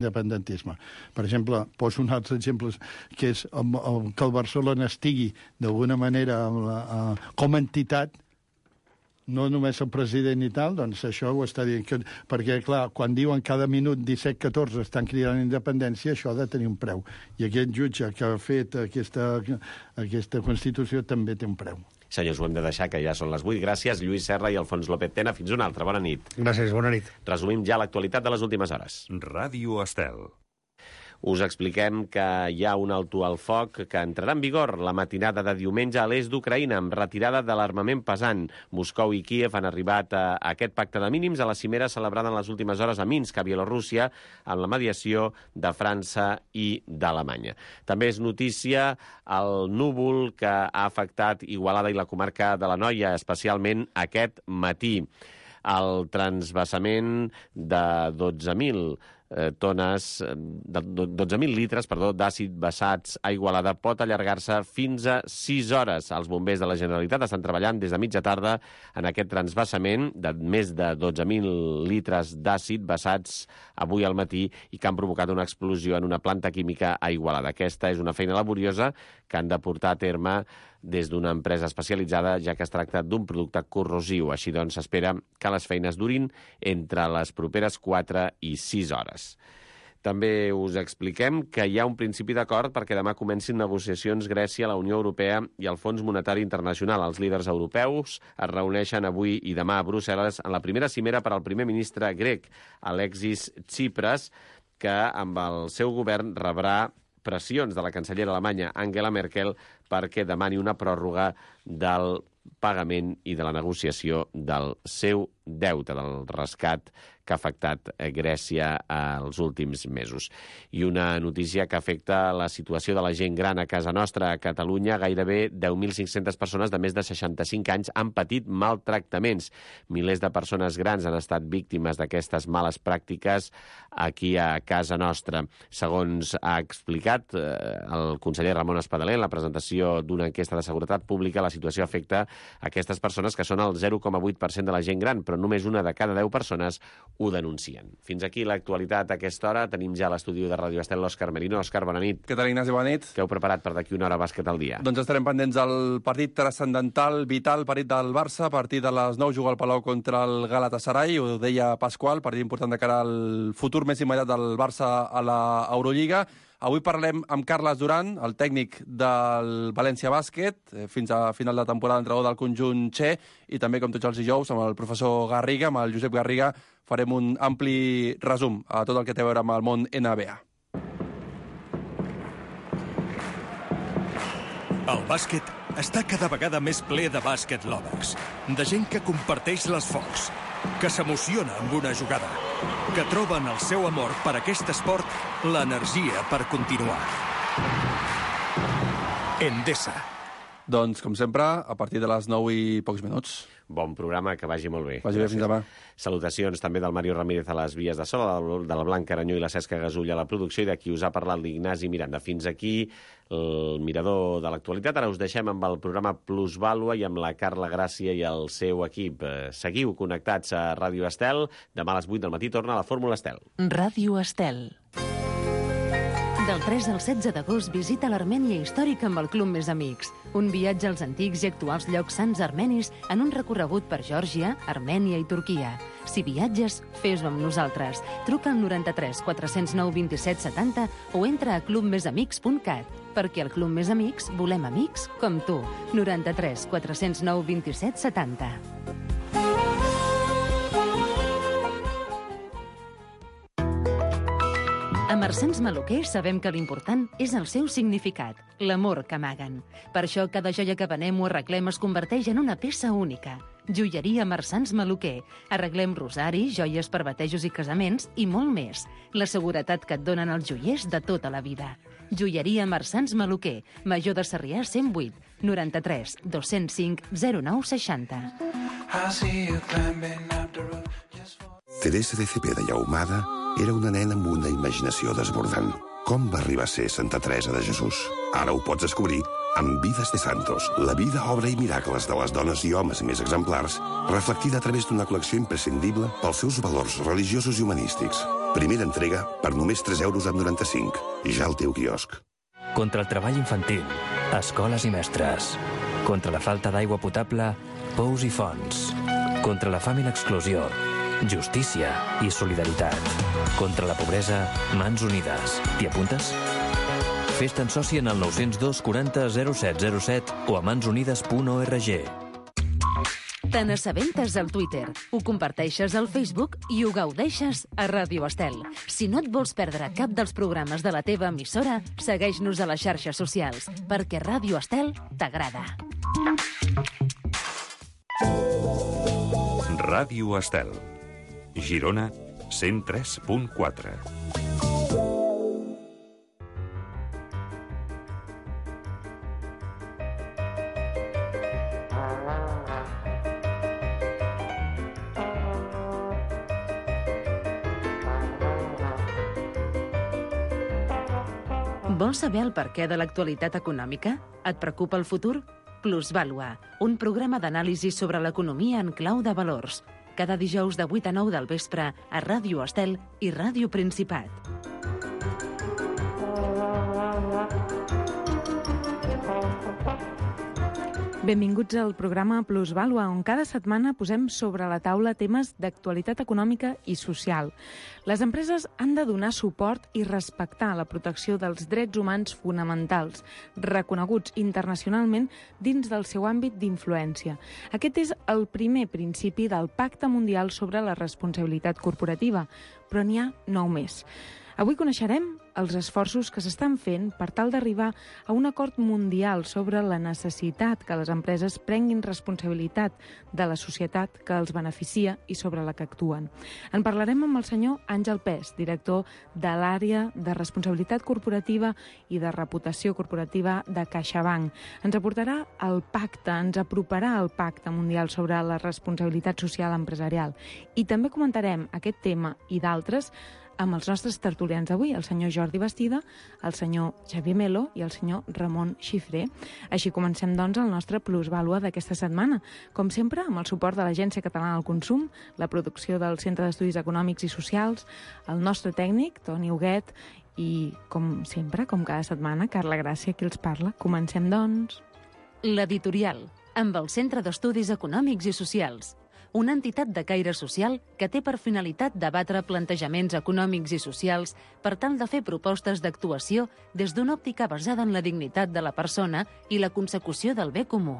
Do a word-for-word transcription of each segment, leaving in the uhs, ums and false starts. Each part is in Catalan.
independentisme. Per exemple, poso un altre exemple, que és que el Barcelona estigui d'alguna manera com a entitat, no només el president i tal, doncs això ho està dient. Que, perquè, clar, quan diuen cada minut disset catorze estan cridant independència, això ha de tenir un preu. I aquest jutge que ha fet aquesta, aquesta Constitució també té un preu. Senyors, ho hem de deixar, que ja són les vuit. Gràcies, Lluís Serra i Alfons López Tena. Fins una altra. Bona nit. Gràcies, bona nit. Resumim ja l'actualitat de les últimes hores. Ràdio Estel. Us expliquem que hi ha un alto al foc que entrarà en vigor la matinada de diumenge a l'est d'Ucraïna amb retirada de l'armament pesant. Moscou i Kíev han arribat a aquest pacte de mínims a la cimera celebrada en les últimes hores a Minsk, a Bielorússia, amb la mediació de França i d'Alemanya. També és notícia el núvol que ha afectat Igualada i la comarca de l'Anoia, especialment aquest matí. El transvasament de dotze mil tones, de dotze mil litres, perdó, d'àcid vessats a Igualada pot allargar-se fins a sis hores. Els bombers de la Generalitat estan treballant des de mitja tarda en aquest transvasament de més de dotze mil litres d'àcid vessats avui al matí i que han provocat una explosió en una planta química a Igualada. Aquesta és una feina laboriosa que han de portar a terme des d'una empresa especialitzada, ja que es tracta d'un producte corrosiu. Així doncs, s'espera que les feines durin entre les properes quatre i sis hores. També us expliquem que hi ha un principi d'acord perquè demà comencin negociacions Grècia, la Unió Europea i el Fons Monetari Internacional. Els líders europeus es reuneixen avui i demà a Brussel·les en la primera cimera per al primer ministre grec, Alexis Tsipras, que amb el seu govern rebrà pressions de la cancellera alemanya Angela Merkel perquè demani una pròrroga del pagament i de la negociació del seu deute, del rescat que ha afectat Grècia els últims mesos. I una notícia que afecta la situació de la gent gran a casa nostra. A Catalunya, gairebé deu mil cinc-centes persones de més de seixanta-cinc anys han patit maltractaments. Milers de persones grans han estat víctimes d'aquestes males pràctiques aquí a casa nostra. Segons ha explicat el conseller Ramon Espadaler en la presentació d'una enquesta de seguretat pública, la situació afecta aquestes persones que són el zero coma vuit per cent de la gent gran, però només una de cada deu persones ho denuncien. Fins aquí l'actualitat a aquesta hora. Tenim ja a l'estudi de Ràdio Estel l'Òscar Merino. Òscar, bona nit. Què tal, Ignasi? Bona nit. Què heu preparat per d'aquí una hora bàsquet al dia? Doncs estarem pendents del partit transcendental, vital, partit del Barça. A partir de les nou juga al Palau contra el Galatasaray. Ho deia Pasqual, partit important de cara al futur més immediat del Barça a l'Eurolliga. Avui parlem amb Carles Duran, el tècnic del València Bàsquet, fins a final de temporada entrenador del conjunt Che, i també, com tots els dijous, amb el professor Garriga, amb el Josep Garriga, farem un ampli resum a tot el que té a veure amb el món N B A. El bàsquet està cada vegada més ple de bàsquet lovers, de gent que comparteix les focs, que s'emociona amb una jugada, que troben el seu amor per aquest esport l'energia per continuar. Endesa. Doncs, com sempre, a partir de les nou i pocs minuts. Bon programa, que vagi molt bé. Vagi bé, fins demà. Salutacions també del Mario Ramírez a les vies de so, de la Blanca Aranyó i la Cesca Gasull a la producció, i d'aquí us ha parlat l'Ignasi Miranda. Fins aquí el mirador de l'actualitat. Ara us deixem amb el programa Plusvàlua i amb la Carla Gràcia i el seu equip. Seguiu connectats a Ràdio Estel. Demà a les vuit del matí torna la Fórmula Estel. Ràdio Estel. Del tres al setze d'agost visita l'Armènia històrica amb el Club Més Amics. Un viatge als antics i actuals llocs sants armenis en un recorregut per Geòrgia, Armènia i Turquia. Si viatges, fes-ho amb nosaltres. Truca al noranta-tres quatre-cents nou vint-i-set setanta o entra a club més amics punt cat. Perquè al Club Més Amics volem amics com tu. noranta-tres quatre-cents nou vint-i-set setanta. A Marsans Maluquer sabem que l'important és el seu significat, l'amor que amaguen. Per això cada joia que venem o arreglem es converteix en una peça única. Joieria Marsans Maluquer. Arreglem rosaris, joies per batejos i casaments i molt més. La seguretat que et donen els joiers de tota la vida. Joieria Marsans Maluquer. Major de Sarrià cent vuit, noranta-tres dos-cents cinc zero nou seixanta. Teresa de Cepeda i Ahumada era una nena amb una imaginació desbordant. Com va arribar a ser Santa Teresa de Jesús? Ara ho pots descobrir amb Vides de Santos, la vida, obra i miracles de les dones i homes més exemplars, reflectida a través d'una col·lecció imprescindible pels seus valors religiosos i humanístics. Primera entrega per només tres euros amb noranta-cinc. Ja al teu quiosc. Contra el treball infantil, escoles i mestres. Contra la falta d'aigua potable, pous i fonts. Contra la fam i l'exclusió, justícia i solidaritat. Contra la pobresa, mans unides. T'hi apuntes? Fes-te'n soci en el nou zero dos quaranta zero set zero set o a mansunides punt org. Te n'assabentes al Twitter, ho comparteixes al Facebook i ho gaudeixes a Ràdio Estel. Si no et vols perdre cap dels programes de la teva emissora, segueix-nos a les xarxes socials, perquè Ràdio Estel t'agrada. Ràdio Estel. Girona, cent tres punt quatre. Vols saber el perquè de l'actualitat econòmica? Et preocupa el futur? Plusvàlua, un programa d'anàlisi sobre l'economia en clau de valors. Cada dijous de vuit a nou del vespre a Ràdio Estel i Ràdio Principat. Benvinguts al programa Plusvàlua, on cada setmana posem sobre la taula temes d'actualitat econòmica i social. Les empreses han de donar suport i respectar la protecció dels drets humans fonamentals, reconeguts internacionalment dins del seu àmbit d'influència. Aquest és el primer principi del Pacte Mundial sobre la Responsabilitat Corporativa, però n'hi ha nou més. Avui coneixerem els esforços que s'estan fent per tal d'arribar a un acord mundial sobre la necessitat que les empreses prenguin responsabilitat de la societat que els beneficia i sobre la que actuen. En parlarem amb el senyor Àngel Pes, director de l'àrea de responsabilitat corporativa i de reputació corporativa de CaixaBank. Ens aportarà el pacte, ens aproparà al Pacte Mundial sobre la Responsabilitat Social Empresarial. I també comentarem aquest tema i d'altres amb els nostres tertulians d'avui, el senyor Jordi Bastida, el senyor Xavier Melo i el senyor Ramon Xifré. Així comencem, doncs, el nostre plusvàlua d'aquesta setmana. Com sempre, amb el suport de l'Agència Catalana del Consum, la producció del Centre d'Estudis Econòmics i Socials, el nostre tècnic, Toni Huguet, i, com sempre, com cada setmana, Carla Gràcia, qui els parla. Comencem, doncs. L'editorial, amb el Centre d'Estudis Econòmics i Socials, una entitat de caire social que té per finalitat debatre plantejaments econòmics i socials per tal de fer propostes d'actuació des d'una òptica basada en la dignitat de la persona i la consecució del bé comú.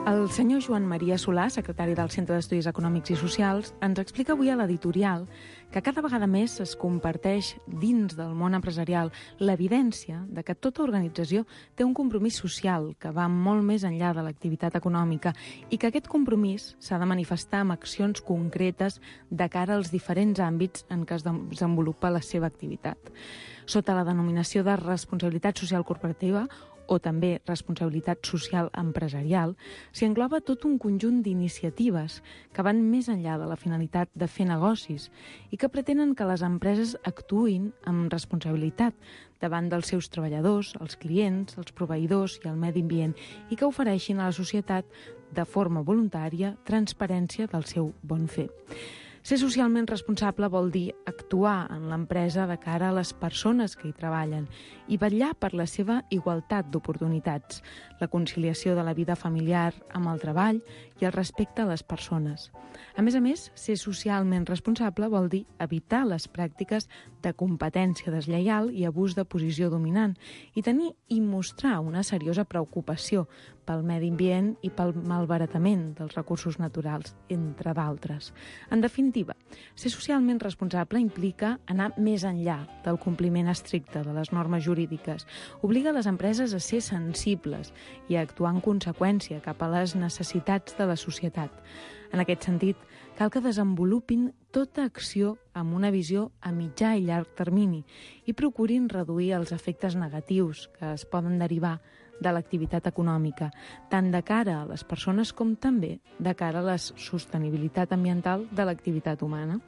El senyor Joan Maria Solà, secretari del Centre d'Estudis Econòmics i Socials, ens explica avui a l'editorial que cada vegada més es comparteix dins del món empresarial l'evidència de que tota organització té un compromís social que va molt més enllà de l'activitat econòmica i que aquest compromís s'ha de manifestar amb accions concretes de cara als diferents àmbits en què es desenvolupa la seva activitat. Sota la denominació de responsabilitat social corporativa, o també responsabilitat social empresarial, s'hi engloba tot un conjunt d'iniciatives que van més enllà de la finalitat de fer negocis i que pretenen que les empreses actuïn amb responsabilitat davant dels seus treballadors, els clients, els proveïdors i el medi ambient i que ofereixin a la societat de forma voluntària transparència del seu bon fer. Ser socialment responsable vol dir actuar en l'empresa de cara a les persones que hi treballen i vetllar per la seva igualtat d'oportunitats, la conciliació de la vida familiar amb el treball i el respecte a les persones. A més a més, ser socialment responsable vol dir evitar les pràctiques de competència deslleial i abús de posició dominant i tenir i mostrar una seriosa preocupació pel medi ambient i pel malbaratament dels recursos naturals, entre d'altres. En definitiva, ser socialment responsable implica anar més enllà del compliment estricte de les normes jurídiques, obliga les empreses a ser sensibles i a actuar en conseqüència cap a les necessitats de la societat. En aquest sentit, cal que desenvolupin tota acció amb una visió a mitjà i llarg termini i procurin reduir els efectes negatius que es poden derivar de l'activitat econòmica, tant de cara a les persones com també de cara a la sostenibilitat ambiental de l'activitat humana.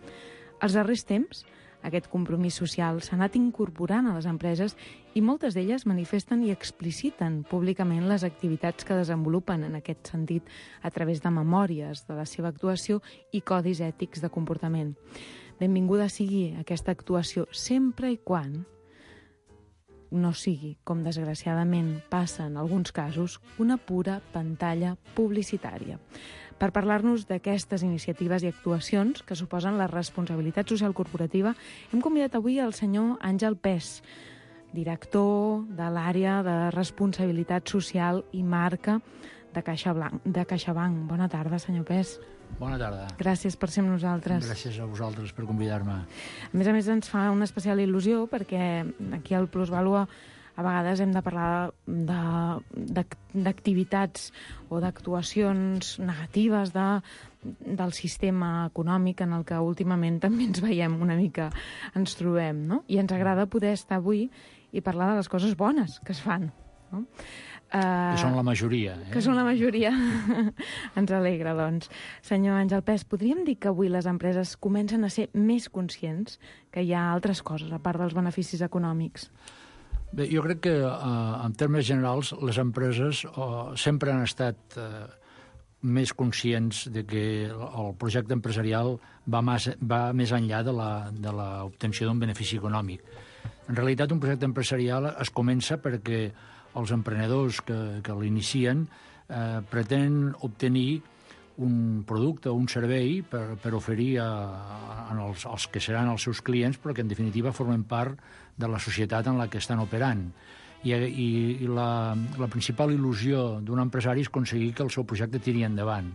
Als darrers temps, aquest compromís social s'ha anat incorporant a les empreses i moltes d'elles manifesten i expliciten públicament les activitats que desenvolupen en aquest sentit a través de memòries de la seva actuació i codis ètics de comportament. Benvinguda sigui aquesta actuació sempre i quan no sigui, com desgraciadament passa en alguns casos, una pura pantalla publicitària. Per parlar-nos d'aquestes iniciatives i actuacions que suposen la responsabilitat social corporativa, hem convidat avui el senyor Àngel Pes, director de l'àrea de responsabilitat social i marca de CaixaBank. De CaixaBank. Bona tarda, senyor Pes. Bona tarda. Gràcies per ser amb nosaltres. Gràcies a vosaltres per convidar-me. A més a més, ens fa una especial il·lusió perquè aquí al Plusvàlua a vegades hem de parlar d'activitats o d'actuacions negatives de, del sistema econòmic en el que últimament també ens veiem una mica, ens trobem, no? I ens agrada poder estar avui i parlar de les coses bones que es fan, no? Uh, que són la majoria. Eh? Que són la majoria. Ens alegra, doncs. Senyor Àngel Pes, podríem dir que avui les empreses comencen a ser més conscients que hi ha altres coses, a part dels beneficis econòmics? Bé, jo crec que, uh, en termes generals, les empreses uh, sempre han estat uh, més conscients de que el projecte empresarial va, mas, va més enllà de l'obtenció d'un benefici econòmic. En realitat, un projecte empresarial es comença perquè els emprenedors que, que l'inicien eh, pretenen obtenir un producte o un servei per, per oferir a, a els, als que seran els seus clients, però que en definitiva formen part de la societat en la que estan operant. I, i, i la, la principal il·lusió d'un empresari és aconseguir que el seu projecte tiri endavant.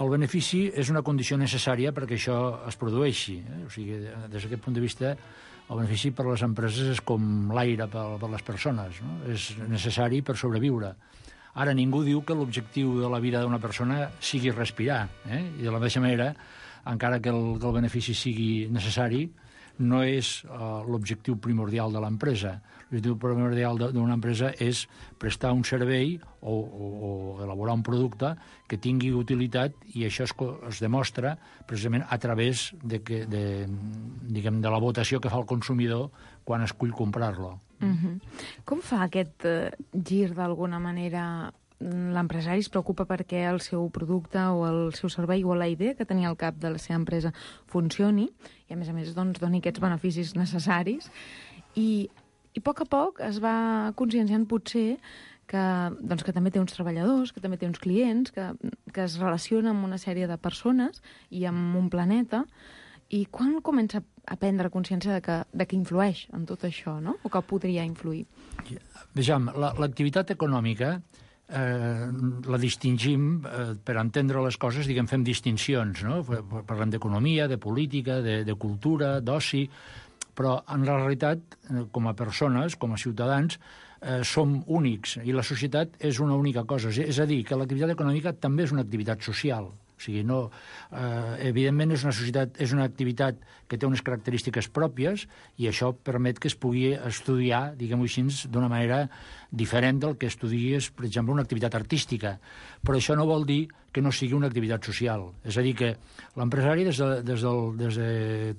El benefici és una condició necessària perquè això es produeixi. Eh? O sigui, des d'aquest punt de vista, el benefici per a les empreses és com l'aire per, per a les persones, no? És necessari per sobreviure. Ara, ningú diu que l'objectiu de la vida d'una persona sigui respirar, eh? I de la mateixa manera, encara que el, que el benefici sigui necessari, no és uh, l'objectiu primordial de l'empresa. L'objectiu primordial d'una empresa és prestar un servei o, o, o elaborar un producte que tingui utilitat, i això es, es demostra precisament a través de, que, de, diguem, de la votació que fa el consumidor quan escull comprar-lo. Uh-huh. Com fa aquest uh, gir d'alguna manera? L'empresari es preocupa perquè el seu producte o el seu servei o la idea que tenia al cap de la seva empresa funcioni i, a més a més, doncs, doni aquests beneficis necessaris. I, i a poc a poc es va conscienciant potser que, doncs, que també té uns treballadors, que també té uns clients, que, que es relaciona amb una sèrie de persones i amb un planeta. I quan comença a prendre consciència de que, de que influeix en tot això, no? O que podria influir? Vejam, l'activitat econòmica Eh, la distingim, eh, per entendre les coses, diguem, fem distincions, no? Parlem d'economia, de política, de, de cultura, d'oci, però en la realitat, com a persones, com a ciutadans, eh, som únics, i la societat és una única cosa. És a dir, que l'activitat econòmica també és una activitat social. O sigui, no, eh, evidentment és una societat, és una activitat que té unes característiques pròpies, i això permet que es pugui estudiar, diguem-ho així, d'una manera diferent del que estudies, per exemple, una activitat artística. Però això no vol dir que no sigui una activitat social. És a dir, que l'empresari des, de, des, del, des de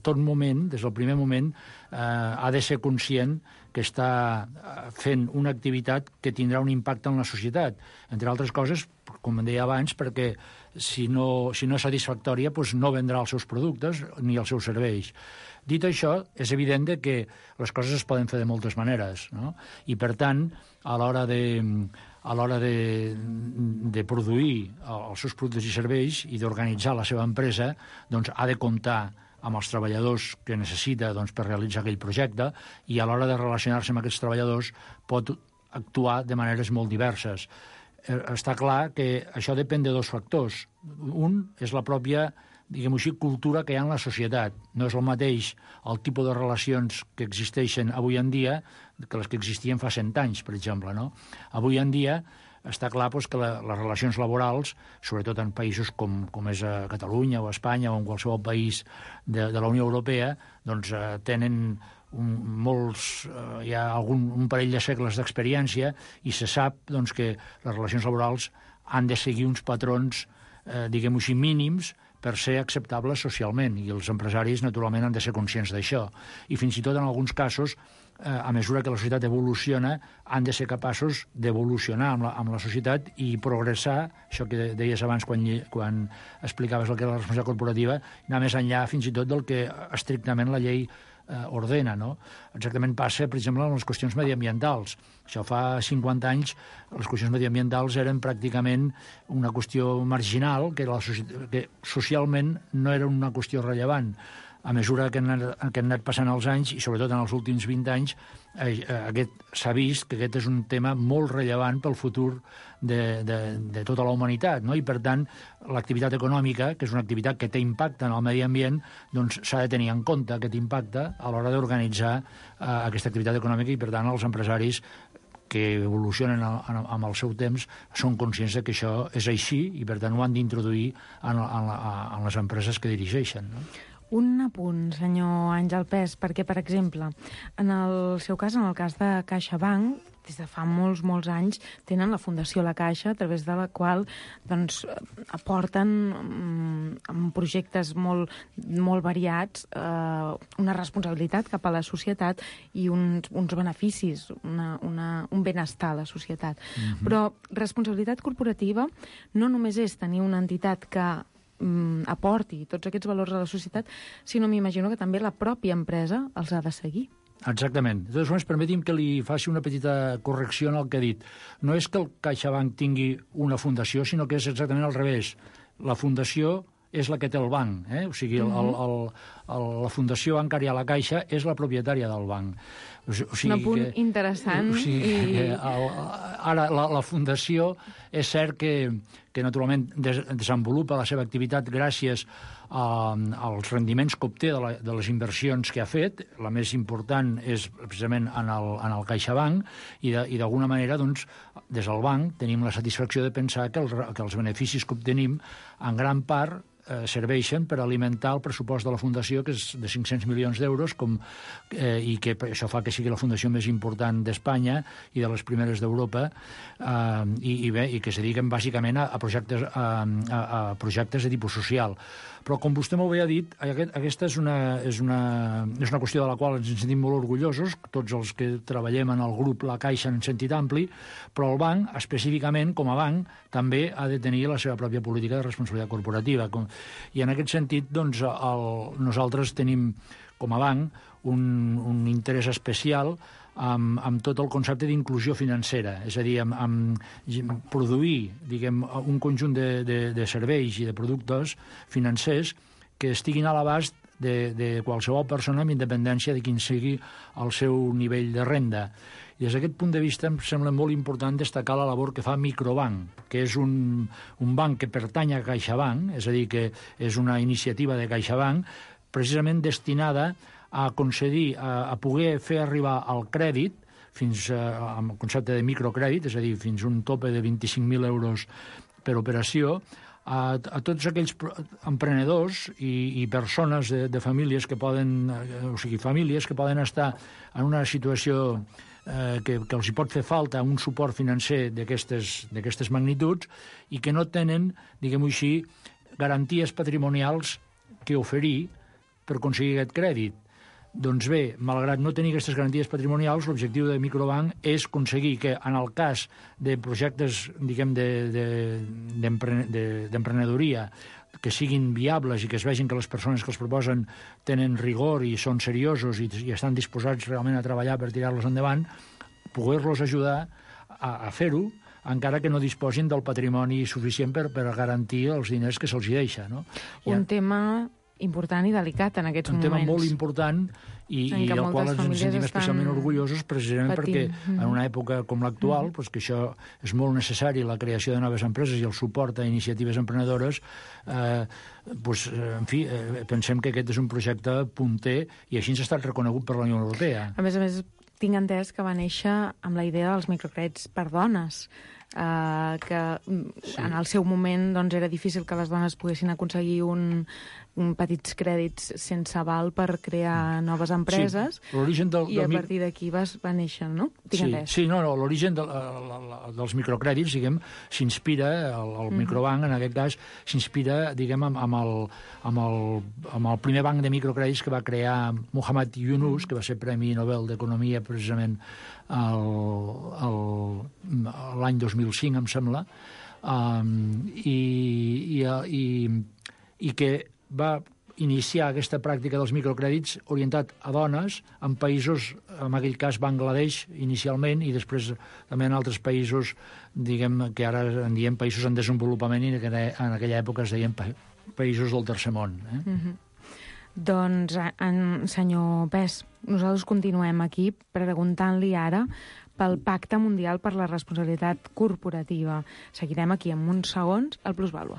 tot moment, des del primer moment, eh, ha de ser conscient que està fent una activitat que tindrà un impacte en la societat. Entre altres coses, com deia abans, perquè si no, si no és satisfactòria, doncs no vendrà els seus productes ni els seus serveis. Dit això, és evident que les coses es poden fer de moltes maneres, no? I, per tant, a l'hora de, a l'hora de, de produir els seus productes i serveis i d'organitzar la seva empresa, doncs ha de comptar amb els treballadors que necessita, doncs, per realitzar aquell projecte, i a l'hora de relacionar-se amb aquests treballadors pot actuar de maneres molt diverses. Està clar que això depèn de dos factors. Un és la pròpia, diguem-ho així, cultura que hi ha en la societat. No és el mateix el tipus de relacions que existeixen avui en dia que les que existien fa cent anys, per exemple, no? Avui en dia està clar doncs, que la, les relacions laborals, sobretot en països com, com és a Catalunya o a Espanya o en qualsevol país de, de la Unió Europea, doncs eh, tenen un, molts, eh, hi ha algun, un parell de segles d'experiència i se sap doncs, que les relacions laborals han de seguir uns patrons, eh, diguem-ho així, mínims per ser acceptables socialment, i els empresaris, naturalment, han de ser conscients d'això. I fins i tot, en alguns casos, eh, a mesura que la societat evoluciona, han de ser capaços d'evolucionar amb, la, amb la societat i progressar, això que deies abans quan, quan explicaves el que era la responsabilitat corporativa, anar més enllà fins i tot del que estrictament la llei eh, ordena, no? Exactament passa, per exemple, amb les qüestions mediambientals. Això fa cinquanta anys, les qüestions mediambientals eren pràcticament una qüestió marginal, que, la, que socialment no era una qüestió rellevant. A mesura que han, que han anat passant els anys, i sobretot en els últims vint anys, eh, aquest s'ha vist que aquest és un tema molt rellevant pel futur de, de, de tota la humanitat, no? I, per tant, l'activitat econòmica, que és una activitat que té impacte en el medi ambient, doncs s'ha de tenir en compte aquest impacte a l'hora d'organitzar eh, aquesta activitat econòmica, i, per tant, els empresaris que evolucionen amb el seu temps són conscients de que això és així i, per tant, ho han d'introduir en, en, en les empreses que dirigeixen, no? Un apunt, senyor Àngel Pes, perquè, per exemple, en el seu cas, en el cas de CaixaBank, des de fa molts, molts anys, tenen la Fundació La Caixa, a través de la qual doncs, aporten um, amb projectes molt, molt variats uh, una responsabilitat cap a la societat i uns, uns beneficis, una, una, un benestar a la societat. Mm-hmm. Però responsabilitat corporativa no només és tenir una entitat que aporti tots aquests valors a la societat, sinó m'imagino que també la pròpia empresa els ha de seguir. Exactament. De totes formes, permeti'm que li faci una petita correcció en el que ha dit. No és que el CaixaBank tingui una fundació, sinó que és exactament al revés. La fundació és la que té el banc, eh? O sigui, el, el, el, el, la Fundació Bancària La Caixa és la propietària del banc. O sigui, un apunt que, interessant. O sigui, i... que el, ara, la, la Fundació és cert que, que naturalment des, desenvolupa la seva activitat gràcies a, als rendiments que obté de, la, de les inversions que ha fet. La més important és precisament en el, en el CaixaBank, i, de, i d'alguna manera, doncs, des del banc tenim la satisfacció de pensar que, el, que els beneficis que obtenim en gran part eh, serveixen per alimentar el pressupost de la Fundació, que és de cinc-cents milions d'euros, com, eh, i que això fa que sigui la fundació més important d'Espanya i de les primeres d'Europa, eh, i, i, bé, i que es dediquen bàsicament a, a, projectes, a, a, a projectes de tipus social. Però, com vostè molt bé ha dit, aquest, aquesta és una, és, una, és una qüestió de la qual ens en sentim molt orgullosos, tots els que treballem en el grup La Caixa en sentit ampli, però el banc, específicament, com a banc, també ha de tenir la seva pròpia política de responsabilitat corporativa. I en aquest sentit, doncs, el, nosaltres tenim, com a banc, un, un interès especial amb, amb tot el concepte d'inclusió financera, és a dir, amb, amb produir, diguem, un conjunt de, de, de serveis i de productes financers que estiguin a l'abast de, de qualsevol persona amb independència de quin sigui el seu nivell de renda. I des d'aquest punt de vista em sembla molt important destacar la labor que fa Microbank, que és un, un banc que pertany a CaixaBank, és a dir, que és una iniciativa de CaixaBank precisament destinada a concedir, a, a poder fer arribar el crèdit, fins a, amb el concepte de microcrèdit, és a dir, fins a un tope de vint-i-cinc mil euros per operació, a, a tots aquells emprenedors i, i persones de, de famílies que poden, o sigui, famílies que poden estar en una situació eh, que, que els hi pot fer falta un suport financer d'aquestes magnituds i que no tenen, diguem-ho així, garanties patrimonials que oferir per aconseguir aquest crèdit. Doncs bé, malgrat no tenir aquestes garanties patrimonials, l'objectiu de Microbank és aconseguir que, en el cas de projectes, diguem, d'emprenedoria, que siguin viables i que es vegin que les persones que els proposen tenen rigor i són seriosos i, i estan disposats realment a treballar per tirar-los endavant, poder-los ajudar a, a fer-ho, encara que no disposin del patrimoni suficient per, per garantir els diners que se'ls hi deixa, no? Un ja... tema important i delicat en aquests un moments. Un tema molt important i, i del qual ens en sentim especialment orgullosos, precisament patint. Perquè en una època com l'actual, mm. pues, que això és molt necessari, la creació de noves empreses i el suport a iniciatives emprenedores, eh, pues, en fi, eh, pensem que aquest és un projecte punter i així ens ha estat reconegut per la Unió Europea. A més a més, tinc entès que va néixer amb la idea dels microcrèdits per dones. eh, que sí. en el seu moment doncs, era difícil que les dones poguessin aconseguir un, un petits crèdits sense aval per crear noves empreses, sí, l'origen del, i a del... partir d'aquí va, va néixer, no? Sí, sí, no, no, l'origen de, dels microcrèdits, diguem, s'inspira, el, el mm-hmm. microbanc, en aquest cas, s'inspira, diguem, amb, amb, el, amb, el, amb el primer banc de microcrèdits que va crear Muhammad Yunus, mm. que va ser Premi Nobel d'Economia precisament l'any dos mil cinc, em sembla, um, i, i, i, i que va iniciar aquesta pràctica dels microcrèdits orientat a dones en països, en aquell cas Bangladesh inicialment, i després també en altres països, diguem, que ara en diem països en desenvolupament, i en aquella època es deien països del tercer món. Eh? Mm-hmm. Doncs, en, senyor Pes, nosaltres continuem aquí preguntant-li ara pel Pacte Mundial per la Responsabilitat Corporativa. Seguirem aquí en uns segons al Plusvàlua.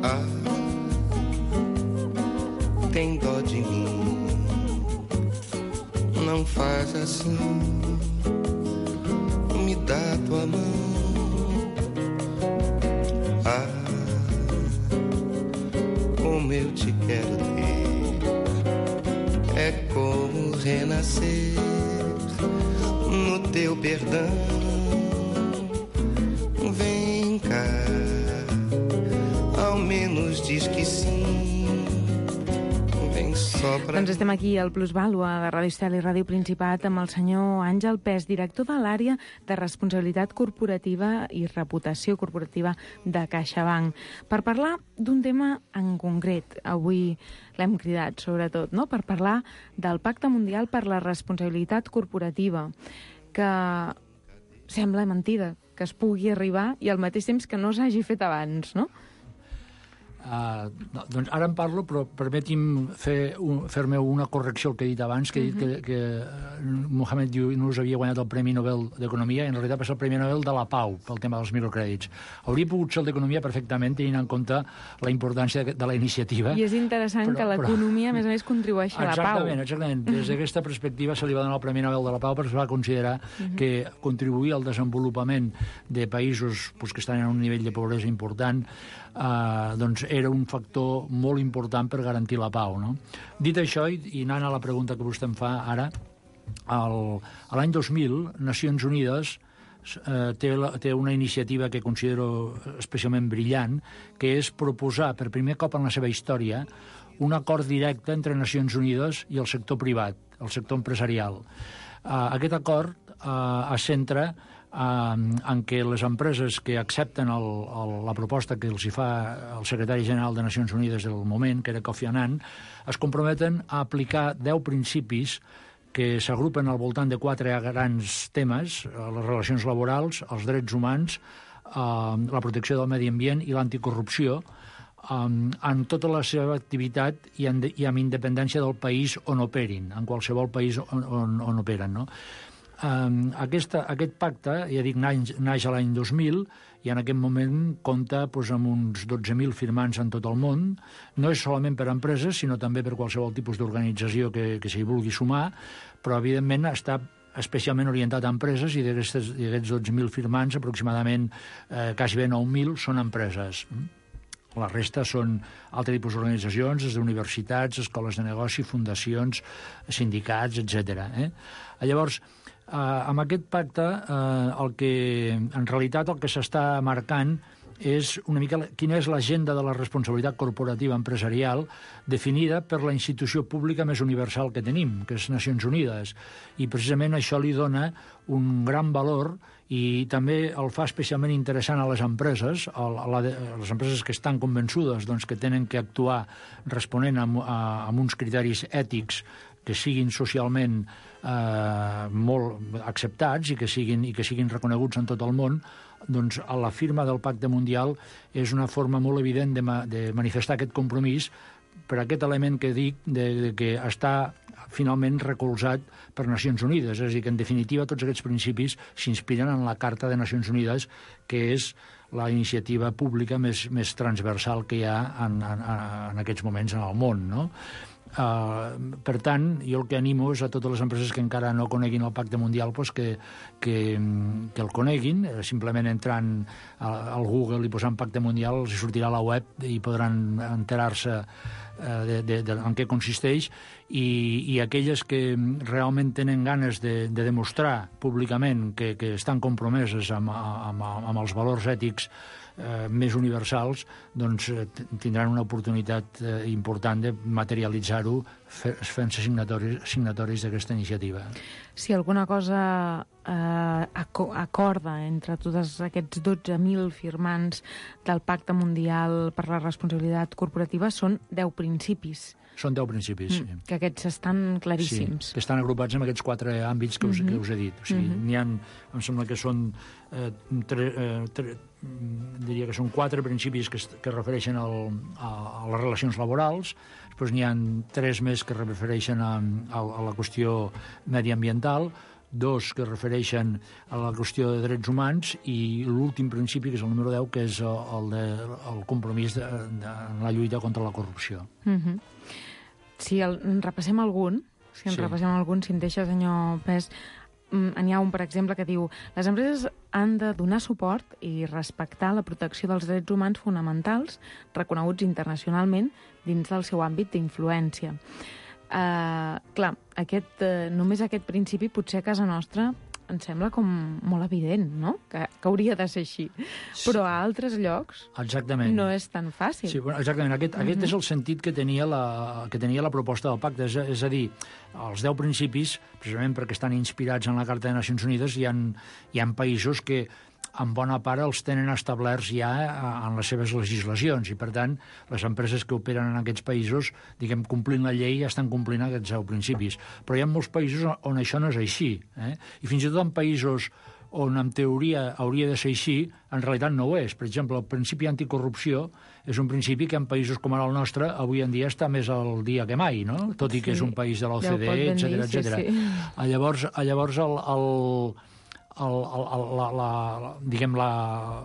Ah, tem dó de mim, não faz assim, me dá tua mão. Ah, como eu te quero ter, é como renascer no teu perdão. Vem cá, ao menos diz que sim. Doncs estem aquí al Plusvàlua de Ràdio Estel i Ràdio Principat amb el senyor Àngel Pes, director de l'àrea de responsabilitat corporativa i reputació corporativa de CaixaBank, per parlar d'un tema en concret. Avui l'hem cridat, sobretot, no? Per parlar del Pacte Mundial per la Responsabilitat Corporativa, que sembla mentida que es pugui arribar i al mateix temps que no s'hagi fet abans, no? Uh, no, doncs ara en parlo, però permeti'm fer un, fer-me una correcció al que he dit abans, que he dit uh-huh. que, que Muhammad Yunus havia guanyat el Premi Nobel d'Economia, i en realitat va ser el Premi Nobel de la Pau pel tema dels microcrèdits. Hauria pogut ser el d'Economia perfectament, tenint en compte la importància de, de la iniciativa. I és interessant però, que l'economia, a més a més, contribueixi a la pau. Exactament, exactament. Des d'aquesta perspectiva se li va donar el Premi Nobel de la Pau perquè es va considerar uh-huh. que contribuir al desenvolupament de països pues, que estan en un nivell de pobresa important Uh, doncs era un factor molt important per garantir la pau, no? Dit això, i, i anant a la pregunta que vostè em fa ara, l'any dos mil, Nacions Unides uh, té, la, té una iniciativa que considero especialment brillant, que és proposar per primer cop en la seva història un acord directe entre Nacions Unides i el sector privat, el sector empresarial. Uh, aquest acord uh, es centra en què les empreses que accepten el, el, la proposta que els hi fa el secretari general de Nacions Unides del moment, que era Kofi Annan, es comprometen a aplicar deu principis que s'agrupen al voltant de quatre grans temes: les relacions laborals, els drets humans, eh, la protecció del medi ambient i l'anticorrupció, eh, en tota la seva activitat i, en, i amb independència del país on operin, en qualsevol país on, on, on operen, no? Um, aquesta, aquest pacte, ja dic, naix, naix a l'any dos mil i en aquest moment compta doncs, amb uns dotze mil firmants en tot el món. No és solament per a empreses, sinó també per qualsevol tipus d'organització que, que s'hi vulgui sumar, però evidentment està especialment orientat a empreses, i d'aquests dotze mil firmants, aproximadament eh, quasi bé nou mil són empreses. La resta són altres tipus d'organitzacions, des d'universitats, escoles de negoci, fundacions, sindicats, etcètera. Eh? Llavors, eh, amb aquest pacte, eh, el que, en realitat el que s'està marcant és una mica quina és l'agenda de la responsabilitat corporativa empresarial definida per la institució pública més universal que tenim, que és Nacions Unides. I precisament això li dona un gran valor i també el fa especialment interessant a les empreses, a la, a les empreses que estan convençudes doncs, que tenen que actuar responent a, a, a uns criteris ètics que siguin socialment eh, molt acceptats i que siguin, i que siguin reconeguts en tot el món. Doncs a la firma del Pacte Mundial és una forma molt evident de, ma, de manifestar aquest compromís per aquest element que dic de, de que està finalment recolzat per Nacions Unides. És a dir, que en definitiva tots aquests principis s'inspiren en la Carta de Nacions Unides, que és la iniciativa pública més, més transversal que hi ha en, en, en aquests moments en el món, no? Uh, per tant, jo el que animo és a totes les empreses que encara no coneguin el Pacte Mundial pues que, que, que el coneguin, simplement entrant al Google i posant Pacte Mundial els sortirà a la web i podran enterar-se uh, de, de, de, en què consisteix, i, i aquelles que realment tenen ganes de, de demostrar públicament que, que estan compromeses amb, amb, amb els valors ètics Eh, més universals, doncs eh, tindran una oportunitat eh, important de materialitzar-ho fent-se signatoris, signatoris d'aquesta iniciativa. Si alguna cosa eh, acorda entre tots aquests dotze mil firmants del Pacte Mundial per la Responsabilitat Corporativa són deu principis. Són deu principis, mm, sí. Que aquests estan claríssims. Sí, que estan agrupats en aquests quatre àmbits que us, mm-hmm. que us he dit. O sigui, mm-hmm. n'hi ha, em sembla que són eh, tre, eh, tre, diria que són quatre principis que, que refereixen al, a, a les relacions laborals, després n'hi ha tres més que refereixen a, a, a la qüestió mediambiental, dos que refereixen a la qüestió de drets humans i l'últim principi, que és el número deu, que és el, de, el compromís de, de la lluita contra la corrupció. Mm-hmm. Si el, en repassem algun, si en sí. repassem algun, si en deixa, senyor Pes, n'hi ha un, per exemple, que diu: les empreses han de donar suport i respectar la protecció dels drets humans fonamentals reconeguts internacionalment dins del seu àmbit d'influència. Uh, clar, aquest, uh, només aquest principi potser a casa nostra em sembla com molt evident, no? Que, que hauria de ser així. Sí. Però a altres llocs exactament. No és tan fàcil. Sí, bueno, exactament. Aquest, mm-hmm. aquest és el sentit que tenia, la, que tenia la proposta del pacte. És, és a dir, els deu principis, precisament perquè estan inspirats en la Carta de Nacions Unides, hi ha, hi ha països que en bona part els tenen establerts ja en les seves legislacions i, per tant, les empreses que operen en aquests països, diguem, complint la llei, ja estan complint aquests deu principis. Però hi ha molts països on això no és així. Eh? I fins i tot en països on en teoria hauria de ser així, en realitat no ho és. Per exemple, el principi anticorrupció és un principi que en països com ara el nostre avui en dia està més al dia que mai, no? Tot i que sí. És un país de l'O C D E, etcètera, etcètera. Sí, sí. Llavors, llavors el... el El, el, la, la, diguem, la,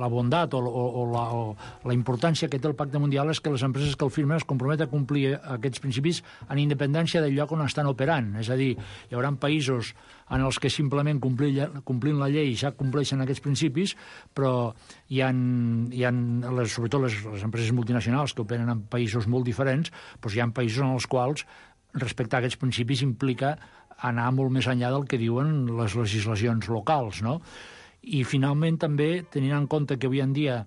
la bondat o, o, o, la, o la importància que té el Pacte Mundial és que les empreses que el firmen es comprometen a complir aquests principis en independència del lloc on estan operant. És a dir, hi haurà països en els que simplement complint, complint la llei ja compleixen aquests principis, però hi ha, hi ha les, sobretot les, les empreses multinacionals que operen en països molt diferents, doncs hi ha països en els quals respectar aquests principis implica anar molt més enllà del que diuen les legislacions locals, no? I, finalment, també, tenint en compte que avui en dia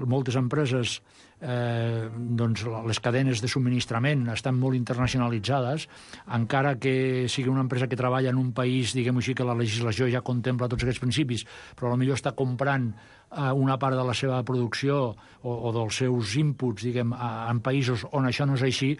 moltes empreses, eh, doncs, les cadenes de subministrament estan molt internacionalitzades, encara que sigui una empresa que treballa en un país, diguem-ho així, que la legislació ja contempla tots aquests principis, però potser està comprant eh, una part de la seva producció o, o dels seus inputs, diguem, a, en països on això no és així,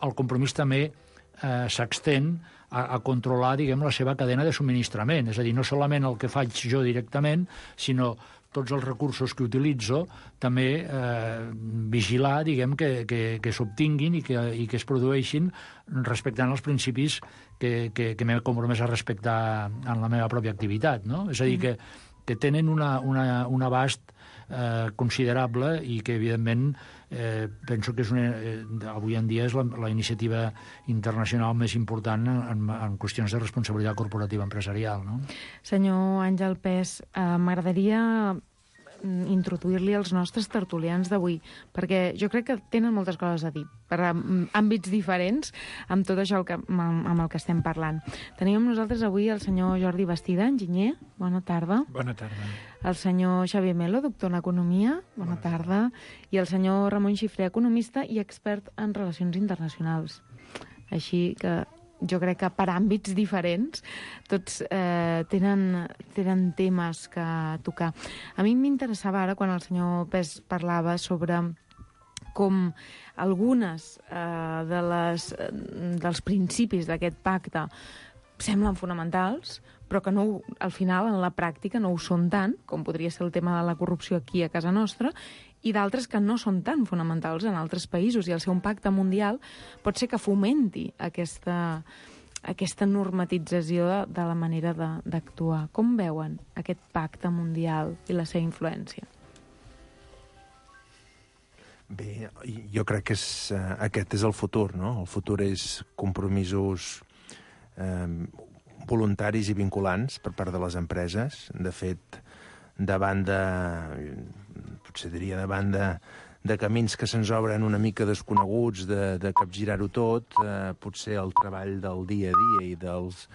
el compromís també eh, s'extén A, a controlar, diguem, la seva cadena de subministrament. És a dir, no solament el que faig jo directament, sinó tots els recursos que utilitzo, també eh, vigilar, diguem, que, que, que s'obtinguin i que, i que es produeixin respectant els principis que, que, que m'he compromès a respectar en la meva pròpia activitat, no? És a dir, que, que tenen una, una, un abast eh, considerable i que, evidentment, eh, penso que és una, eh, avui en dia és la, la iniciativa internacional més important en, en, en qüestions de responsabilitat corporativa empresarial, no? Senyor Àngel Pes, eh, m'agradaria introduir-li als nostres tertulians d'avui, perquè jo crec que tenen moltes coses a dir, per àmbits diferents, amb tot això que, amb, amb el que estem parlant. Tenim amb nosaltres avui el senyor Jordi Bastida, enginyer, bona tarda. Bona tarda. El senyor Xavier Melo, doctor en Economia, bona, bona tarda. I el senyor Ramon Xifré, economista i expert en relacions internacionals. Així que jo crec que per àmbits diferents tots eh, tenen, tenen temes que tocar. A mi m'interessava ara quan el senyor Pes parlava sobre com algunes eh, de les, dels principis d'aquest pacte semblen fonamentals, però que no, al final, en la pràctica, no ho són tant, com podria ser el tema de la corrupció aquí a casa nostra, i d'altres que no són tan fonamentals en altres països, i el seu impacte mundial pot ser que fomenti aquesta, aquesta normatització de, de la manera d'actuar. Com veuen aquest pacte mundial i la seva influència? Bé, jo crec que és, uh, aquest és el futur, no? El futur és compromisos eh, voluntaris i vinculants per part de les empreses. De fet, davant de... potser diria davant de, de camins que se'ns obren una mica desconeguts, de, de capgirar-ho tot, eh, potser el treball del dia a dia i dels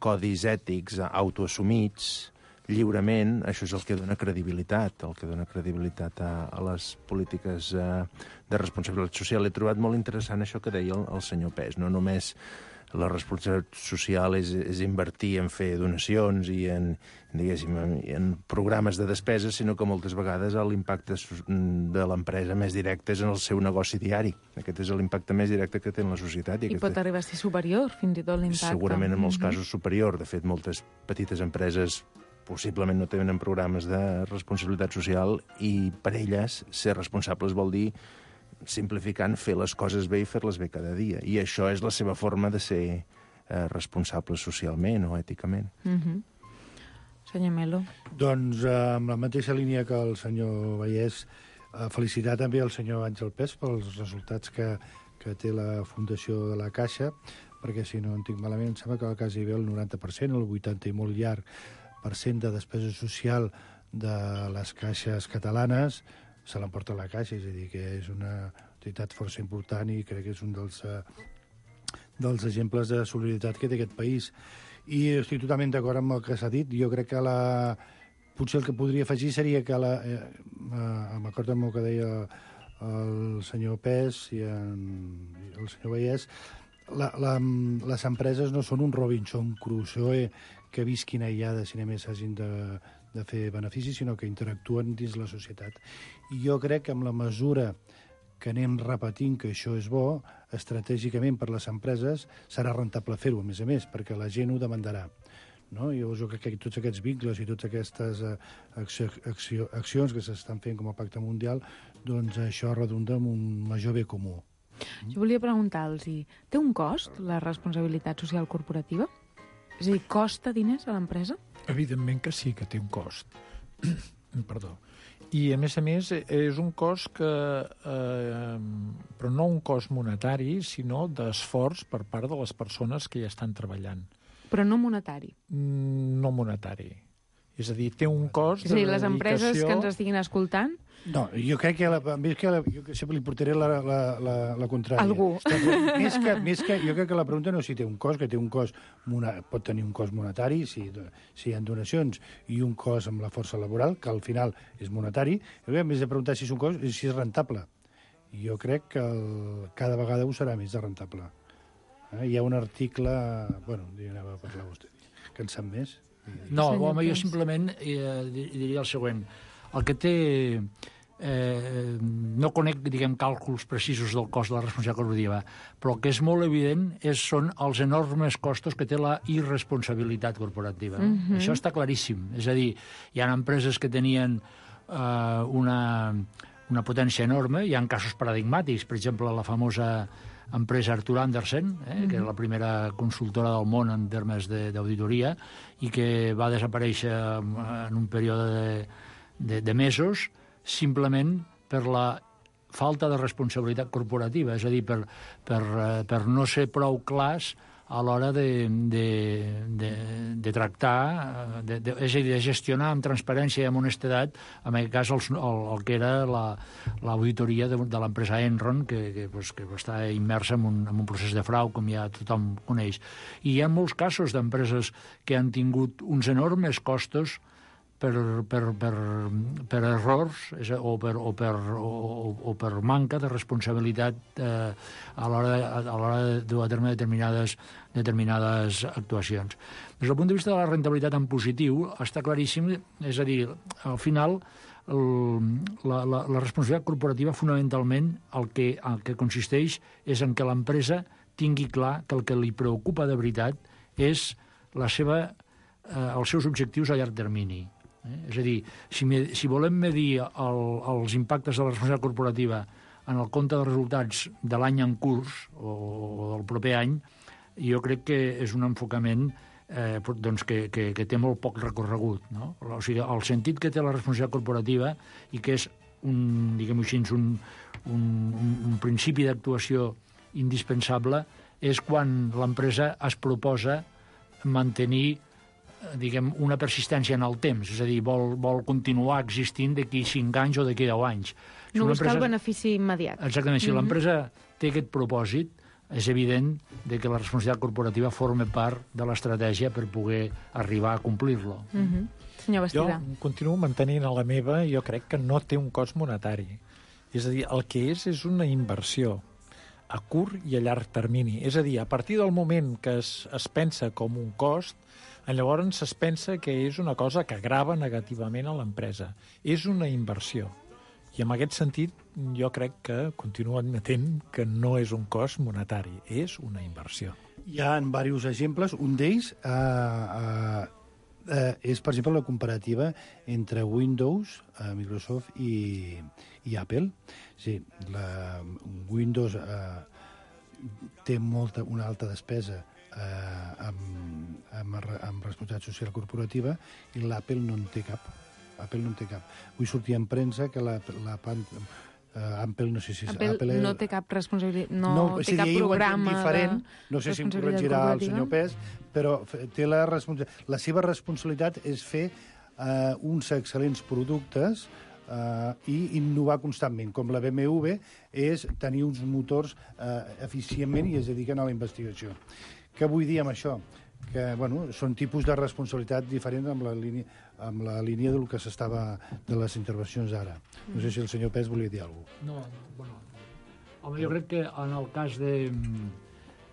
codis ètics autoassumits lliurement, això és el que dona credibilitat, el que dona credibilitat a, a les polítiques eh, de responsabilitat social. He trobat molt interessant això que deia el, el senyor Pes, no només la responsabilitat social és, és invertir en fer donacions i en, diguéssim, en, en programes de despeses, sinó que moltes vegades l'impacte de l'empresa més directe és en el seu negoci diari. Aquest és l'impacte més directe que té en la societat. I, I aquesta... pot arribar a ser superior, fins i tot l'impacte. Segurament en molts mm-hmm. casos superior. De fet, moltes petites empreses possiblement no tenen programes de responsabilitat social i per elles ser responsables vol dir, simplificant, fer les coses bé i fer-les bé cada dia. I això és la seva forma de ser eh, responsable socialment o èticament. Mm-hmm. Senyor Melo. Doncs eh, amb la mateixa línia que el senyor Vallès, eh, felicitar també el senyor Àngel Pes pels resultats que, que té la Fundació de la Caixa, perquè si no en tinc malament, em sembla que la Caixa hi ve el noranta per cent, el vuitanta i molt llarg per cent de despesa social de les caixes catalanes se l'emporta la Caixa, és a dir, que és una entitat força important i crec que és un dels, eh, dels exemples de solidaritat que té aquest país. I estic totalment d'acord amb el que s'ha dit. Jo crec que la... potser el que podria afegir seria que la... Eh, eh, m'acordo amb el que deia el senyor Pes i, en, i el senyor Vallès, la, la, les empreses no són un Robinson Crusoe que visquin aïllades i només hagin de, de fer beneficis, sinó que interactuen dins la societat. I jo crec que amb la mesura que anem repetint que això és bo, estratègicament per les empreses serà rentable fer-ho, a més a més, perquè la gent ho demandarà. No? I llavors jo crec que tots aquests vincles i totes aquestes uh, acció, acció, accions que s'estan fent com a Pacte Mundial, doncs això redunda en un major bé comú. Jo volia preguntar-los, té un cost la responsabilitat social corporativa? És a dir, costa diners a l'empresa? Evidentment que sí que té un cost. Perdó. I, a més a més, és un cost que... Eh, però no un cost monetari, sinó d'esforç per part de les persones que hi estan treballant. Però no monetari? No monetari. És a dir, té un cost de dedicació... És a dir, les empreses que ens estiguin escoltant... No, jo crec que, la, més que la, jo sempre li portaré la, la, la, la contrària. Algú. Més que, més que, jo crec que la pregunta no és si té un cost, que té un cost, pot tenir un cost monetari, si, si hi ha donacions, i un cost amb la força laboral, que al final és monetari. Jo crec que més de preguntar si és un cost, és si és rentable. I jo crec que el, cada vegada ho serà més de rentable. Eh? Hi ha un article... Bueno, anava a parlar vostè, que en sap més. No, home, jo simplement eh, diria el següent. El que té... Eh, no conec, diguem, càlculs precisos del cost de la responsabilitat corporativa, però el que és molt evident és, són els enormes costos que té la irresponsabilitat corporativa. Mm-hmm. Això està claríssim. És a dir, hi ha empreses que tenien eh, una, una potència enorme, hi ha casos paradigmàtics, per exemple, la famosa empresa Arthur Andersen, eh, mm-hmm. que és la primera consultora del món en termes d'auditoria i que va desaparèixer en un període de, de, de mesos simplement per la falta de responsabilitat corporativa, és a dir, per, per, per no ser prou clars a l'hora de, de, de, de tractar, de, de, és a dir, de gestionar amb transparència i amb honestedat, en aquest cas, el, el, el que era l'auditoria la, de, de l'empresa Enron, que, que, pues, que està immersa en un, en un procés de frau, com ja tothom coneix. I hi ha molts casos d'empreses que han tingut uns enormes costos per, per, per, per errors o per, o, per, o, o per manca de responsabilitat eh, a l'hora de dur a terme determinades, determinades actuacions. Des del punt de vista de la rentabilitat en positiu, està claríssim, és a dir, al final el, la, la, la responsabilitat corporativa fonamentalment el que, el que consisteix és en que l'empresa tingui clar que el que li preocupa de veritat és la seva, eh, els seus objectius a llarg termini. Eh? És a dir, si, me, si volem medir el, els impactes de la responsabilitat corporativa en el compte de resultats de l'any en curs o, o del proper any, jo crec que és un enfocament eh, doncs que, que, que té molt poc recorregut. No? O sigui, el sentit que té la responsabilitat corporativa i que és un, diguem-ho així, un, un, un, un principi d'actuació indispensable és quan l'empresa es proposa mantenir, diguem, una persistència en el temps, és a dir, vol, vol continuar existint d'aquí cinc anys o d'aquí deu anys. Si no buscar empresa... el benefici immediat. Exactament, si mm-hmm. l'empresa té aquest propòsit, és evident de que la responsabilitat corporativa forma part de l'estratègia per poder arribar a complir-lo. Mm-hmm. Senyor Bastida. Jo continuo mantenint a la meva, jo crec que no té un cost monetari. És a dir, el que és és una inversió a curt i a llarg termini. És a dir, a partir del moment que es, es pensa com un cost, llavors es pensa que és una cosa que grava negativament a l'empresa. És una inversió. I en aquest sentit, jo crec que continuo admetent que no és un cost monetari, és una inversió. Hi ha diversos exemples. Un d'ells eh, eh, eh, és, per exemple, la comparativa entre Windows, eh, Microsoft i, i Apple. Sí, la Windows eh, té molta, una alta despesa eh, amb, amb, amb responsabilitat social corporativa i l'Apple no en té cap. Apple no en té cap. Avui sortia en premsa que la, la pan, uh, Apple, no sé si... Apple, Apple no té cap responsabilitat, no, no té sí, cap programa diferent, no sé si em corregirà el senyor Pes, però té la, la seva responsabilitat és fer uh, uns excel·lents productes uh, i innovar constantment, com la B M W és tenir uns motors uh, eficientment i es dediquen a la investigació. Què vull dir amb això? Que bueno, són tipus de responsabilitat diferents amb la línia, amb la línia del que s'estava de les intervencions d'ara. No sé si el senyor Pes volia dir alguna cosa. No, bueno, home, jo crec que en el cas de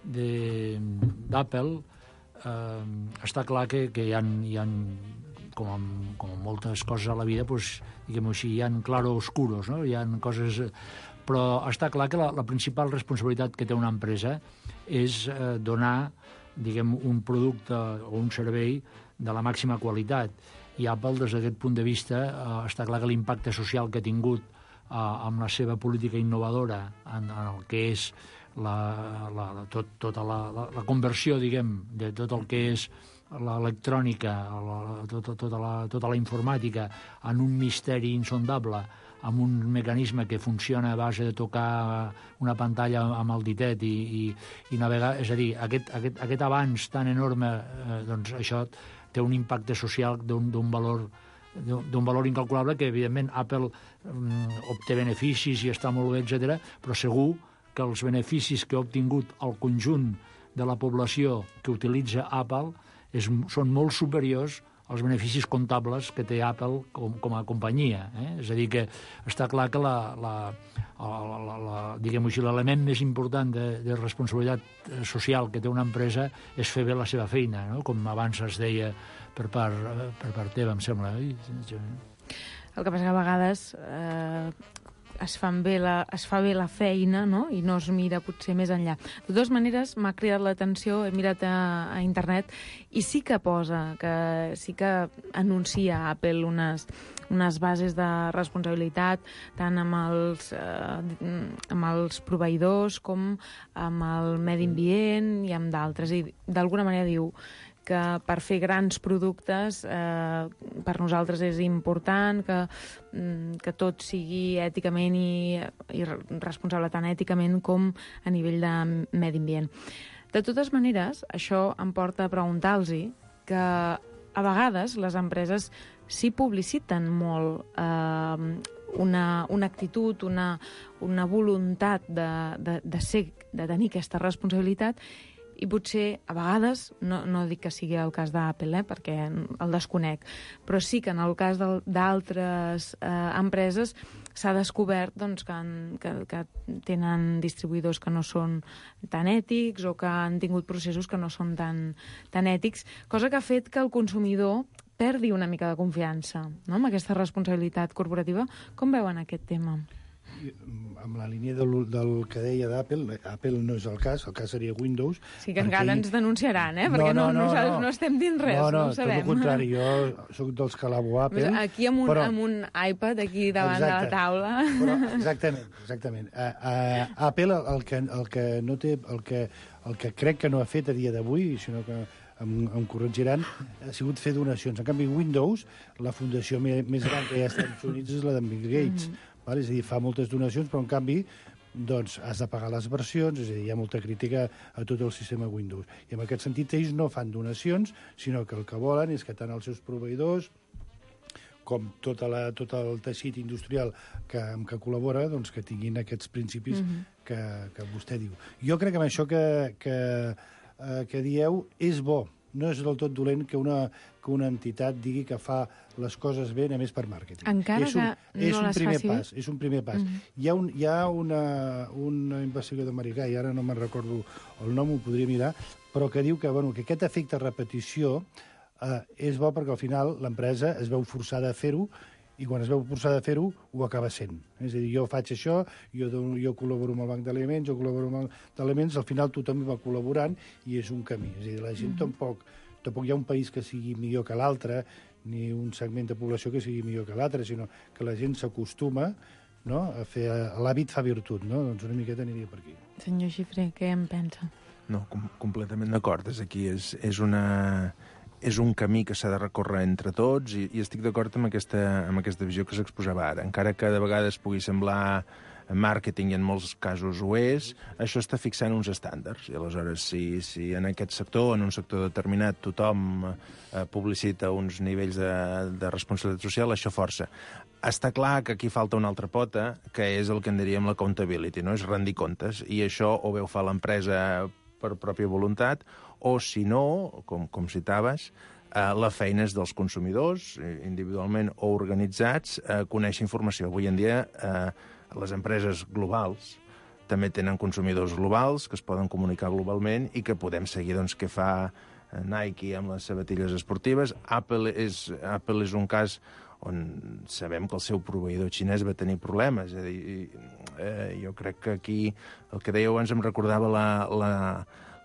d'Apple eh, està clar que, que hi ha, hi ha com, amb, com amb moltes coses a la vida, pues, diguem-ho així, hi ha claroscuros, no? Hi ha coses... Però està clar que la, la principal responsabilitat que té una empresa és eh, donar, diguem, un producte o un servei de la màxima qualitat. I Apple, des d'aquest punt de vista, eh, està clar que l'impacte social que ha tingut eh, amb la seva política innovadora en, en el que és la, la, tot, tota la, la, la conversió, diguem, de tot el que és l'electrònica, la, tota, tota, la, tota la informàtica, en un misteri insondable, amb un mecanisme que funciona a base de tocar una pantalla amb el ditet i, i, i navegar. És a dir, aquest, aquest, aquest avanç tan enorme, eh, doncs això té un impacte social d'un valor d'un valor incalculable que, evidentment, Apple um, obté beneficis i està molt bé, etcètera, però segur que els beneficis que ha obtingut el conjunt de la població que utilitza Apple és, són molt superiors els beneficis comptables que té Apple com, com a companyia. Eh? És a dir, que està clar que la, la, la, la, la, diguem-ho així, l'element més important de, de responsabilitat social que té una empresa és fer bé la seva feina, no? Com abans es deia per part, per part teva, em sembla. Eh? El que passa que a vegades eh, es, fan bé la, es fa bé la feina, no? I no es mira potser més enllà. De totes maneres, m'ha cridat l'atenció, he mirat a, a internet, i sí que posa, que sí que anuncia Apple unes, unes bases de responsabilitat, tant amb els, eh, amb els proveïdors com amb el medi ambient i amb d'altres. I d'alguna manera diu que per fer grans productes eh, per nosaltres és important que, que tot sigui èticament i, i responsable tant èticament com a nivell de medi ambient. De totes maneres, això em porta a preguntar-los que a vegades les empreses sí publiciten molt eh, una, una actitud, una, una voluntat de, de, de, ser, de tenir aquesta responsabilitat. I potser, a vegades, no, no dic que sigui el cas d'Apple, eh, perquè el desconec, però sí que en el cas d'altres eh, empreses s'ha descobert doncs, que, han, que, que tenen distribuïdors que no són tan ètics o que han tingut processos que no són tan, tan ètics, cosa que ha fet que el consumidor perdi una mica de confiança, no?, amb aquesta responsabilitat corporativa. Com veuen aquest tema? Amb la línia del, del que deia d'Apple, Apple no és el cas, el cas seria Windows. Sí, que encara ens denunciaran, eh? Perquè no, no, no, no, no estem dint res, no, no, no ho sabem. No, tot el contrari, jo soc dels que alabo Apple. Aquí amb un, però... amb un iPad aquí davant exacte, de la taula. Però, exactament, exactament. Uh, uh, Apple el que, el que no té, el que, el que crec que no ha fet a dia d'avui, sinó que em, em corregiran, ha sigut fer donacions. En canvi, Windows, la fundació més, més gran que hi ha als Estats Units és la de Bill Gates. Mm -hmm. Vale? És a dir, fa moltes donacions, però en canvi doncs has de pagar les versions, és a dir, hi ha molta crítica a tot el sistema Windows. I en aquest sentit ells no fan donacions, sinó que el que volen és que tant els seus proveïdors com tota la, tot el teixit industrial que, amb què col·labora, doncs que tinguin aquests principis mm-hmm. que, que vostè diu. Jo crec que amb això que, que, eh, que dieu és bo. No és del tot dolent que una, que una entitat digui que fa les coses bé només per màrqueting. Encara és un, que és no un les primer faci pas, és un primer pas. Mm-hmm. Hi ha, un, hi ha una, una investigador americà, i ara no me'n recordo el nom, ho podria mirar, però que diu que, bueno, que aquest efecte repetició eh, és bo perquè al final l'empresa es veu forçada a fer-ho i quan es veu forçada a fer-ho, ho acaba sent. És a dir, jo faig això, jo, dono, jo col·laboro amb el banc d'aliments, jo col·laboro amb el banc d'aliments, al final tothom va col·laborant i és un camí. És a dir, la gent mm-hmm. tampoc, tampoc hi ha un país que sigui millor que l'altre, ni un segment de població que sigui millor que l'altre, sinó que la gent s'acostuma, no?, a fer... L'hàbit fa virtut, no? Doncs una miqueta aniria per aquí. Senyor Xifré, què en pensa? No, com, completament d'acord. És aquí, és, és una... és un camí que s'ha de recórrer entre tots i, i estic d'acord amb, aquesta, amb aquesta visió que s'exposava ara. Encara que de vegades pugui semblar màrqueting i en molts casos ho és, això està fixant uns estàndards. I aleshores, si, si en aquest sector, en un sector determinat, tothom eh, publicita uns nivells de, de responsabilitat social, això força. Està clar que aquí falta una altra pota, que és el que en diríem l'accountability, no? És rendir comptes. I això o bé ho fa l'empresa per pròpia voluntat, o, si no, com, com citaves, eh, la feina és dels consumidors, individualment o organitzats, eh, conèixer informació. Avui en dia, eh, les empreses globals també tenen consumidors globals que es poden comunicar globalment i que podem seguir doncs, què fa Nike amb les sabatilles esportives. Apple és, Apple és un cas on sabem que el seu proveïdor xinès va tenir problemes. És a dir, eh, jo crec que aquí el que dèieu abans em recordava la, la,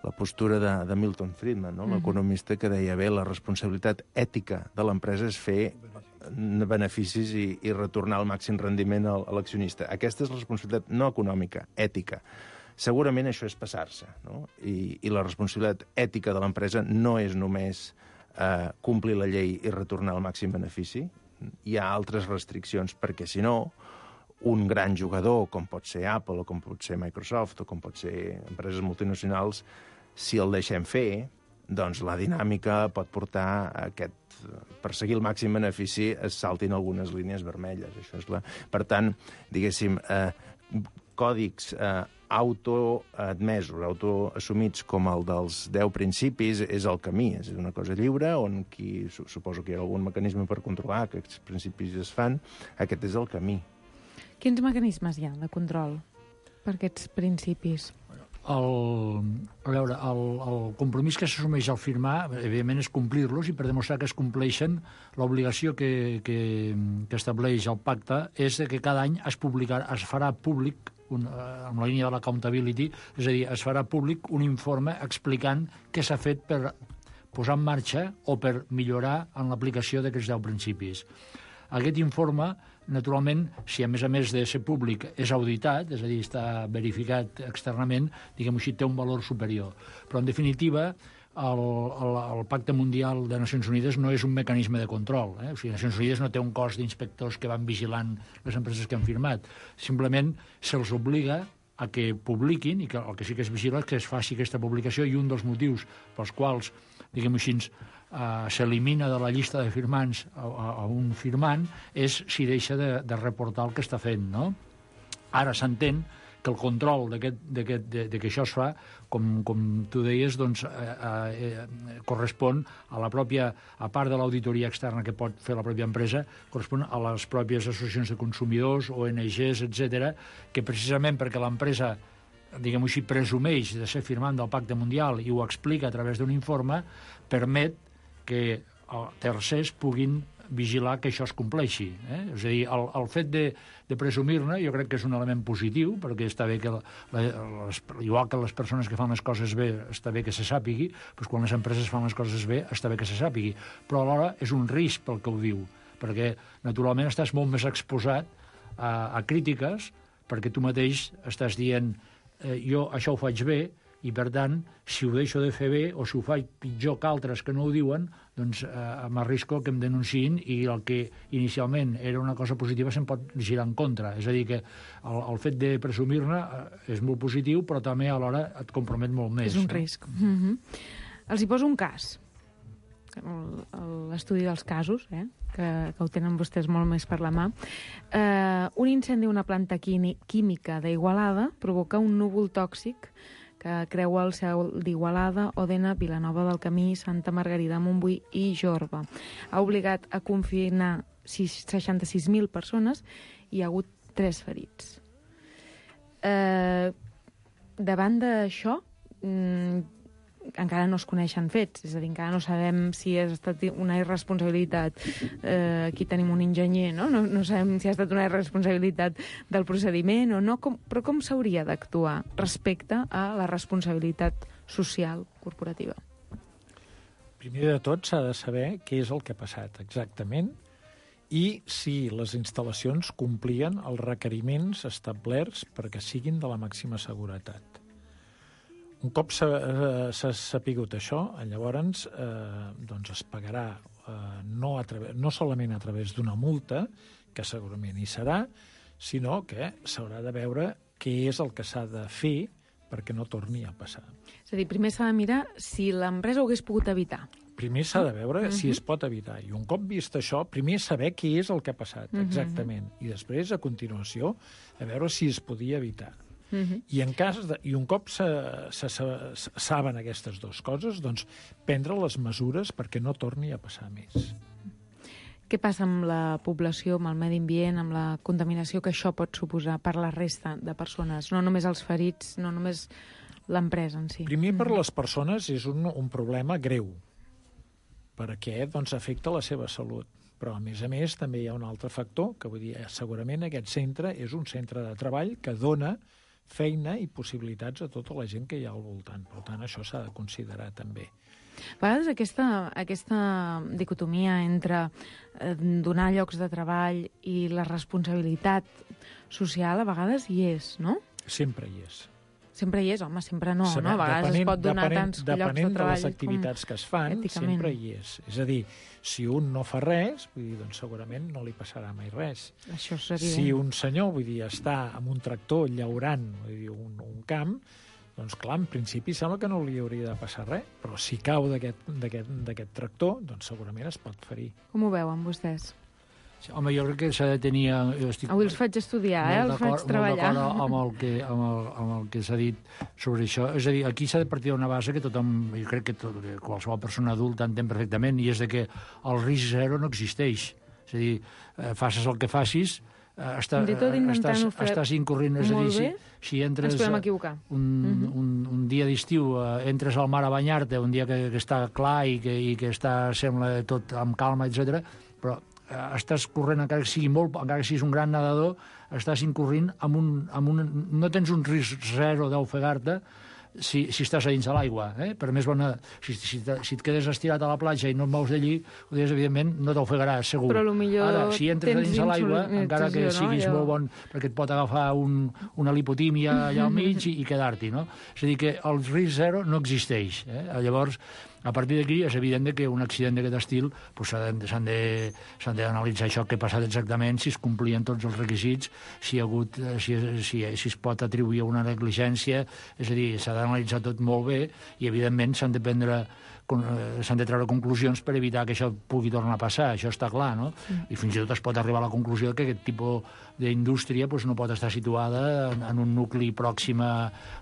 la postura de, de Milton Friedman, no? Mm-hmm. L'economista que deia, bé, la responsabilitat ètica de l'empresa és fer beneficis i, i retornar el màxim rendiment a, a l'accionista. Aquesta és la responsabilitat no econòmica, ètica. Segurament això és passar-se, no? I, i la responsabilitat ètica de l'empresa no és només eh, complir la llei i retornar el màxim benefici. Hi ha altres restriccions, perquè si no, un gran jugador, com pot ser Apple, o com pot ser Microsoft, o com pot ser empreses multinacionals, si el deixem fer, doncs la dinàmica pot portar a aquest... Per seguir el màxim benefici es saltin algunes línies vermelles. Això és la... Per tant, diguéssim, eh, còdics eh, autoadmesos, autoassumits com el dels deu principis és el camí, és una cosa lliure on qui, suposo que hi ha algun mecanisme per controlar que aquests principis es fan, aquest és el camí. Quins mecanismes hi ha de control per aquests principis? El, a veure, el, el compromís que s'assumeix al firmar, evidentment, és complir-los i per demostrar que es compleixen, l'obligació que, que, que estableix el pacte és que cada any es, publicarà, es farà públic, un, amb la línia de l'accountability, és a dir, es farà públic un informe explicant què s'ha fet per posar en marxa o per millorar en l'aplicació d'aquests deu principis. Aquest informe, naturalment, si a més a més de ser públic és auditat, és a dir, està verificat externament, diguem-ho així, té un valor superior. Però, en definitiva, el, el, el Pacte Mundial de Nacions Unides no és un mecanisme de control. Eh? O sigui, Nacions Unides no té un cos d'inspectors que van vigilant les empreses que han firmat. Simplement se'ls obliga a que publiquin, i que el que sí que es vigila és que es faci aquesta publicació, i un dels motius pels quals, diguem-ho així, Uh, s'elimina de la llista de firmants a, a, a un firmant és si deixa de, de reportar el que està fent, no? Ara s'entén que el control de, de, de, de que això es fa, com, com tu deies, doncs, eh, eh, correspon a la pròpia, a part de l'auditoria externa que pot fer la pròpia empresa, correspon a les pròpies associacions de consumidors, O N Ges, etcètera, que precisament perquè l'empresa, diguem-ho així, presumeix de ser firmant del Pacte Mundial i ho explica a través d'un informe, permet que tercers puguin vigilar que això es compleixi. Eh? És a dir, el, el fet de, de presumir-ne jo crec que és un element positiu, perquè està bé que, la, les, igual que les persones que fan les coses bé, està bé que se sàpigui, doncs quan les empreses fan les coses bé, està bé que se sàpigui. Però alhora és un risc pel que ho diu, perquè naturalment estàs molt més exposat a, a crítiques, perquè tu mateix estàs dient eh, jo això ho faig bé, i, per tant, si ho deixo de fer bé o si ho faig pitjor que altres que no ho diuen, doncs eh, m'arrisco que em denunciïn i el que inicialment era una cosa positiva se'n pot girar en contra. És a dir, que el, el fet de presumir-ne eh, és molt positiu, però també alhora et compromet molt més. És un no? risc. Mm-hmm. Els hi poso un cas. L'estudi dels casos, eh? que, que ho tenen vostès molt més per la mà. Eh, un incendi a una planta química d'Igualada provoca un núvol tòxic que creua el cel d'Igualada, Òdena, Vilanova del Camí, Santa Margarida, Montbui i Jorba. Ha obligat a confinar seixanta-sis mil persones i hi ha hagut tres ferits. Eh, davant d'això, mm, encara no es coneixen fets, és a dir, encara no sabem si ha estat una irresponsabilitat, eh, aquí tenim un enginyer, no? No, no sabem si ha estat una irresponsabilitat del procediment o no, com, però com s'hauria d'actuar respecte a la responsabilitat social corporativa? Primer de tot s'ha de saber què és el que ha passat exactament i si les instal·lacions complien els requeriments establerts perquè siguin de la màxima seguretat. Un cop s'ha sapigut això, llavors eh, doncs es pagarà eh, no, a través, no solament a través d'una multa, que segurament hi serà, sinó que s'haurà de veure què és el que s'ha de fer perquè no torni a passar. És a dir, primer s'ha de mirar si l'empresa ho hagués pogut evitar. Primer s'ha de veure uh-huh. si es pot evitar. I un cop vist això, primer saber què és el que ha passat, uh-huh. exactament. I després, a continuació, a veure si es podia evitar. Uh-huh. I, en cas de, i un cop se, se, se, se saben aquestes dues coses, doncs prendre les mesures perquè no torni a passar més. Què passa amb la població, amb el medi ambient, amb la contaminació que això pot suposar per la resta de persones? No només els ferits, no només l'empresa en si. Primer, per les persones és un, un problema greu, perquè doncs, afecta la seva salut. Però, a més a més, també hi ha un altre factor, que vull dir, segurament aquest centre és un centre de treball que dona feina i possibilitats a tota la gent que hi ha al voltant. Per tant, això s'ha de considerar també. A vegades aquesta, aquesta dicotomia entre eh, donar llocs de treball i la responsabilitat social a vegades hi és, no? Sempre hi és. Sempre hi és, home, sempre no, Saber, no? A vegades depenent, es pot donar depenent, tants llocs de treball. Depenent de les activitats que es fan, èticament. sempre hi és. És a dir, si un no fa res, vull dir, doncs segurament no li passarà mai res. Això és evident. Si un senyor, vull dir, està amb un tractor llaurant, vull dir, un, un camp, doncs clar, en principi sembla que no li hauria de passar res, però si cau d'aquest tractor, doncs segurament es pot ferir. Com ho veuen vostès? Home, jo crec que s'ha de tenir... Estic Avui els faig estudiar, eh? Els faig treballar. Molt d'acord amb el que, amb el, amb el que s'ha dit sobre això. És a dir, aquí s'ha de partir d'una base que tothom, jo crec que tot, qualsevol persona adulta entén perfectament, i és de que el risc zero no existeix. És a dir, eh, facis el que facis, eh, està, estàs, estàs incorrent. És a dir, si, si entres un, uh-huh. un, un dia d'estiu, eh, entres al mar a banyar-te, un dia que, que està clar i que, i que està, sembla tot amb calma, etcètera, però estàs corrent, encara que sigui molt, encara que siguis un gran nedador, estàs incorrent amb un, amb un... No tens un risc zero d'ofegar-te si, si estàs a dins de l'aigua. Eh? Per més bona... Si, si, si et quedes estirat a la platja i no et mous d'allí, evidentment no t'ofegaràs, segur. Però potser ara, si entres a dins de l'aigua, encara que siguis no? molt bon, perquè et pot agafar un, una lipotímia allà al mig i, i quedar-t'hi, no? És a dir, que el risc zero no existeix. Eh? Llavors, a partir d'aquí és evident que un accident d'aquest estil pues, s'han d'analitzar això que ha passat exactament, si es complien tots els requisits, si, hi ha hagut, si, si, si es pot atribuir a una negligència, és a dir, s'ha d'analitzar tot molt bé i evidentment s'han de prendre s'han de treure conclusions per evitar que això pugui tornar a passar, això està clar, no? Mm. I fins i tot es pot arribar a la conclusió que aquest tipus d'indústria pues, no pot estar situada en, en un nucli pròxim a,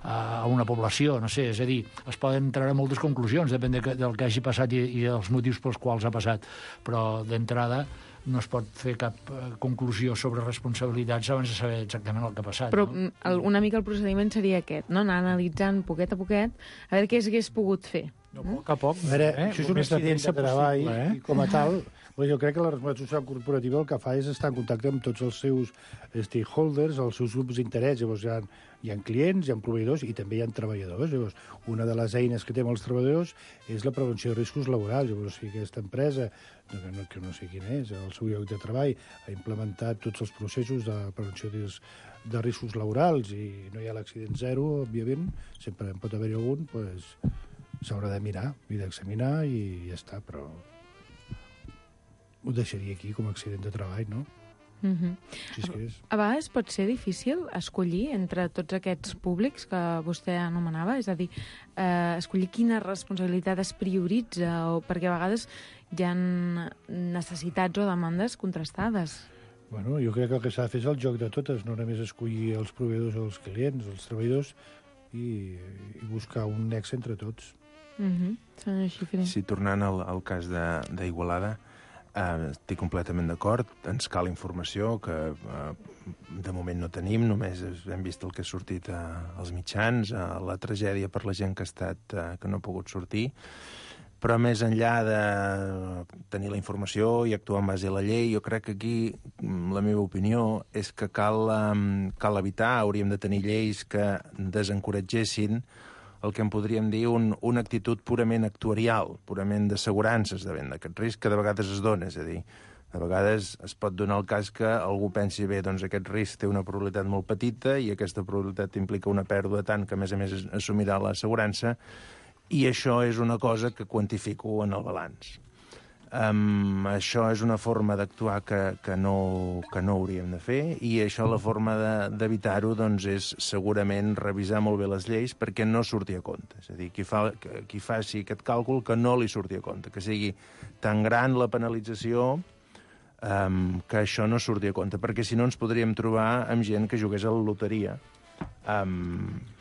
a una població, no sé, és a dir, es poden treure moltes conclusions, depèn de, del que hagi passat i, i dels motius pels quals ha passat, però d'entrada no es pot fer cap conclusió sobre responsabilitats abans de saber exactament el que ha passat. Però no? el, una mica el procediment seria aquest, no? Anar analitzant poquet a poquet a veure què s'hagués pogut fer. No, a poc a poc. A veure, eh? Això és un accident de treball, eh? I com a tal, Bé, jo crec que la responsabilitat social corporativa el que fa és estar en contacte amb tots els seus stakeholders, els seus grups d'interès. Llavors hi ha, hi ha clients, hi ha proveïdors i també hi ha treballadors. Llavors, una de les eines que té amb els treballadors és la prevenció de riscos laborals. Llavors, si aquesta empresa, que no, que no sé quin és, el seu lloc de treball, ha implementat tots els processos de prevenció de, de riscos laborals i no hi ha l'accident zero, òbviament, sempre en pot haver-hi algun, doncs s'haurà de mirar i d'examinar i ja està, però ho deixaria aquí com a accident de treball, no? Mm-hmm. Si és que és. A vegades pot ser difícil escollir entre tots aquests públics que vostè anomenava, és a dir, eh, escollir quina responsabilitat es prioritza, o perquè a vegades hi ha necessitats o demandes contrastades. Bueno, jo crec que el que s'ha de fer és el joc de totes, no només escollir els proveïdors o els clients, els treballadors, i, i buscar un nexe entre tots. Mm-hmm. Senyor Xifré. Sí, tornant al, al cas d'Igualada, Uh, estic completament d'acord, ens cal informació que uh, de moment no tenim, només hem vist el que ha sortit uh, als mitjans, uh, la tragèdia per la gent que ha estat, uh, que no ha pogut sortir, però més enllà de tenir la informació i actuar en base a la llei, jo crec que aquí la meva opinió és que cal, um, cal evitar, hauríem de tenir lleis que desencoratgessin el que en podríem dir un, una actitud purament actuarial, purament d'assegurances davant d'aquest risc que de vegades es dona. És a dir, de vegades es pot donar el cas que algú pensi, bé, doncs aquest risc té una probabilitat molt petita i aquesta probabilitat implica una pèrdua tant que, a més a més, assumirà l'assegurança, i això és una cosa que quantifico en el balanç. Um, això és una forma d'actuar que, que, no, que no hauríem de fer, i això la forma d'evitar-ho de, doncs, és segurament revisar molt bé les lleis perquè no surti a compte. És a dir, qui, fa, qui faci aquest càlcul que no li surti a compte, que sigui tan gran la penalització um, que això no surti a compte, perquè si no ens podríem trobar amb gent que jugués a la loteria amb...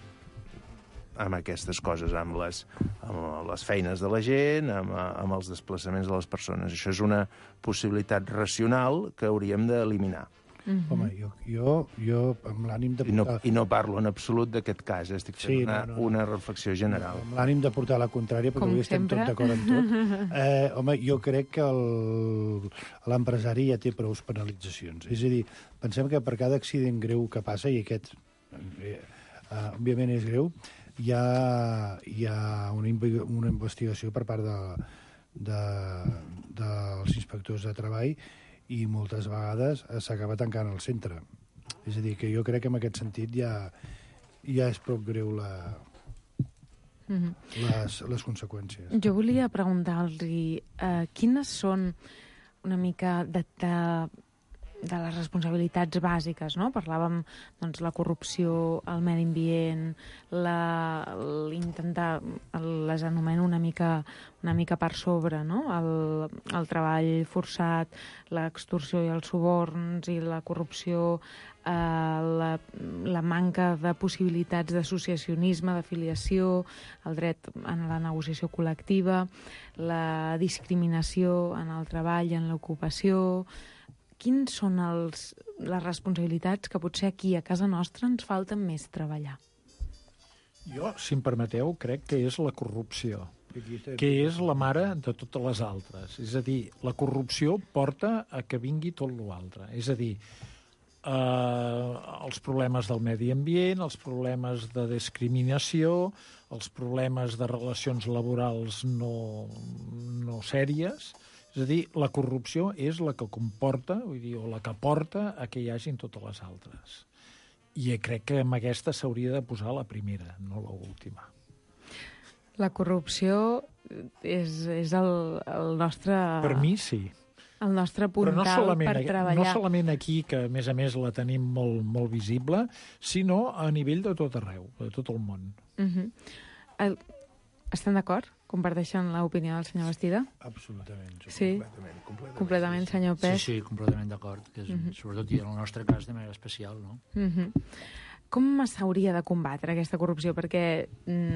amb aquestes coses, amb les, amb les feines de la gent, amb, amb els desplaçaments de les persones. Això és una possibilitat racional que hauríem d'eliminar. Mm-hmm. Home, jo, jo, jo amb l'ànim de portar... I no, I no parlo en absolut d'aquest cas, eh? Estic fent sí, una, no, no. una reflexió general. Amb l'ànim de portar la contrària, perquè avui estem tots d'acord amb tot. Eh, home, jo crec que l'empresari ja té prou penalitzacions. És a dir, pensem que per cada accident greu que passa, i aquest, eh, eh, òbviament, és greu, hi ha, hi ha una, una investigació per part de, de, dels inspectors de treball i moltes vegades s'acaba tancant el centre. És a dir, que jo crec que en aquest sentit ja, ja és prou greu la, mm-hmm. les, les conseqüències. Jo volia preguntar-li eh, quines són una mica de... de de les responsabilitats bàsiques, no? Parlàvem, doncs, la corrupció, el medi ambient, l'intentar, les anomeno una mica, una mica per sobre, no? El, el treball forçat, l'extorsió i els suborns i la corrupció, eh, la, la manca de possibilitats d'associacionisme, d'afiliació, el dret en la negociació col·lectiva, la discriminació en el treball i en l'ocupació. Quins són els, les responsabilitats que potser aquí, a casa nostra, ens falta més treballar? Jo, si em permeteu, crec que és la corrupció, que és la mare de totes les altres. És a dir, la corrupció porta a que vingui tot l'altre. És a dir, eh, els problemes del medi ambient, els problemes de discriminació, els problemes de relacions laborals no, no sèries. És a dir, la corrupció és la que comporta, vull dir, o la que porta a que hi hagin totes les altres. I crec que amb aquesta s'hauria de posar la primera, no l'última. La corrupció és, és el, el nostre... Per mi, sí. El nostre puntal no per treballar. No solament aquí, que a més a més la tenim molt, molt visible, sinó a nivell de tot arreu, de tot el món. Uh-huh. el... Estan d'acord? Comparteixen l'opinió del senyor Bastida? Absolutament. Sí? Completament, completament. Completament, senyor Pes? Sí, sí, completament d'acord. Uh-huh. Sobretot en el nostre cas de manera especial, no? Uh-huh. Com s'hauria de combatre aquesta corrupció? Perquè,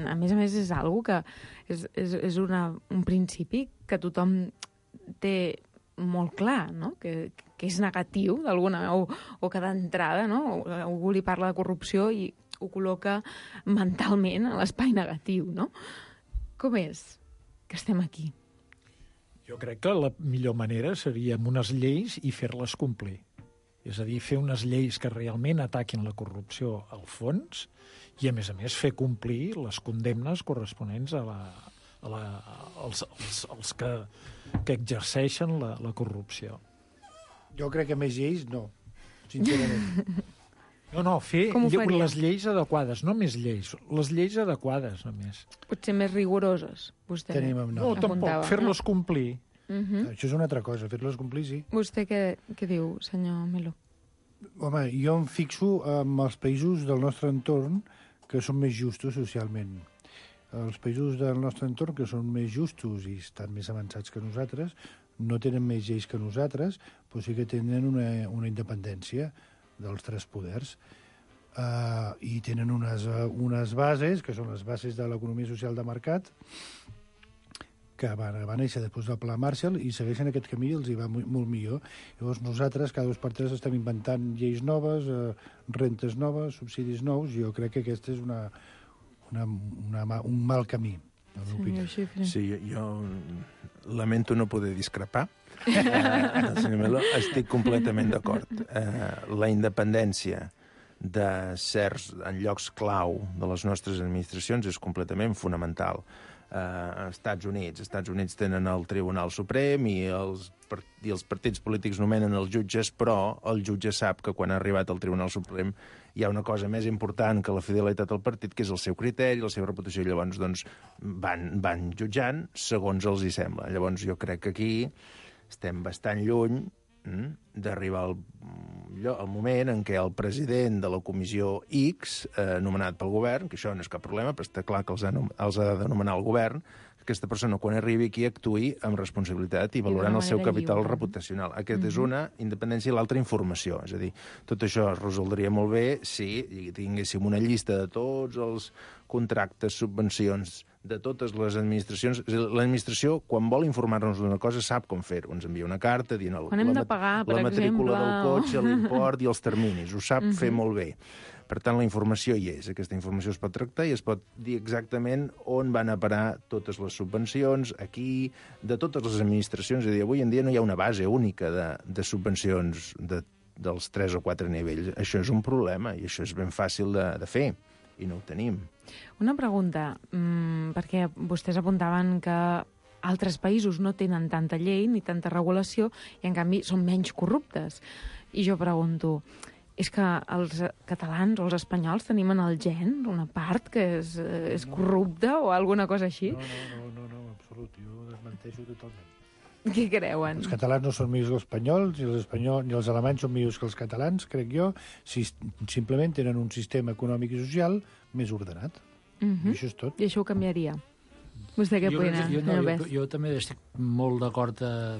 a més a més, és algo que és, és, és una, un principi que tothom té molt clar, no? Que, que és negatiu, d'alguna o, o que d'entrada, no? Algú li parla de corrupció i ho col·loca mentalment a l'espai negatiu, no? Com és que estem aquí? Jo crec que la millor manera seria amb unes lleis i fer-les complir. És a dir, fer unes lleis que realment ataquin la corrupció al fons i, a més a més, fer complir les condemnes corresponents a, la, a la, als, als, als que, que exerceixen la, la corrupció. Jo crec que més lleis, no, sincerament. No, no, fer les lleis adequades, no més lleis, les lleis adequades, només. Potser més rigoroses, vostè Tenim, no, no tampoc, fer-les complir. Uh -huh. Això és una altra cosa, fer-les complir, sí. Vostè què, què diu, senyor Melo? Home, jo em fixo en els països del nostre entorn que són més justos socialment. Els països del nostre entorn que són més justos i estan més avançats que nosaltres, no tenen més lleis que nosaltres, però sí que tenen una, una independència dels tres poders. Uh, I tenen unes, uh, unes bases, que són les bases de l'economia social de mercat, que van, van néixer després del Pla Marshall i segueixen aquest camí i els hi va molt, molt millor. Llavors nosaltres cada dos per tres estem inventant lleis noves, uh, rentes noves, subsidis nous, i jo crec que aquest és una, una, una, un mal camí. Sí, sí, jo lamento no poder discrepar. Eh, senyor Melo, estic completament d'acord. Eh, la independència de certs en llocs clau de les nostres administracions és completament fonamental. Eh, Estats Units. Estats Units tenen el Tribunal Suprem i els, i els partits polítics nomenen els jutges, però el jutge sap que quan ha arribat al Tribunal Suprem hi ha una cosa més important que la fidelitat al partit, que és el seu criteri, la seva reputació, i llavors doncs, van, van jutjant segons els hi sembla. Llavors jo crec que aquí estem bastant lluny mm, d'arribar al, al moment en què el president de la comissió X, eh, nomenat pel govern, que això no és cap problema, però està clar que els ha, els ha de nomenar el govern, aquesta persona, quan arribi aquí, actuï amb responsabilitat i valorant el seu capital lliure. reputacional. Aquesta mm-hmm. és una independència i l'altra informació. És a dir, tot això es resoldria molt bé si tinguéssim una llista de tots els contractes, subvencions, de totes les administracions. L'administració, quan vol informar-nos d'una cosa, sap com fer-ho. Ens envia una carta dient el, quan hem de pagar, per la matrícula exemple, del cotxe, l'import i els terminis. Ho sap mm-hmm. fer molt bé. Per tant, la informació hi és. Aquesta informació es pot tractar i es pot dir exactament on van a parar totes les subvencions, aquí, de totes les administracions. És a dir, avui en dia no hi ha una base única de, de subvencions de, dels tres o quatre nivells. Això és un problema i això és ben fàcil de, de fer i no ho tenim. Una pregunta, mmm, perquè vostès apuntaven que altres països no tenen tanta llei ni tanta regulació i, en canvi, són menys corruptes. I jo pregunto, és que els catalans o els espanyols tenim en el gen una part que és, és corrupta o alguna cosa així? No, no, no, no, no, absolut, jo desmenteixo totalment. Què creuen? Els catalans no són millors que els espanyols, i els espanyols i els alemanys són millors que els catalans, crec jo, si simplement tenen un sistema econòmic i social més ordenat. Uh-huh. I això és tot. I això ho canviaria? Vostè què opina? Jo, no, jo, jo també estic molt d'acord eh,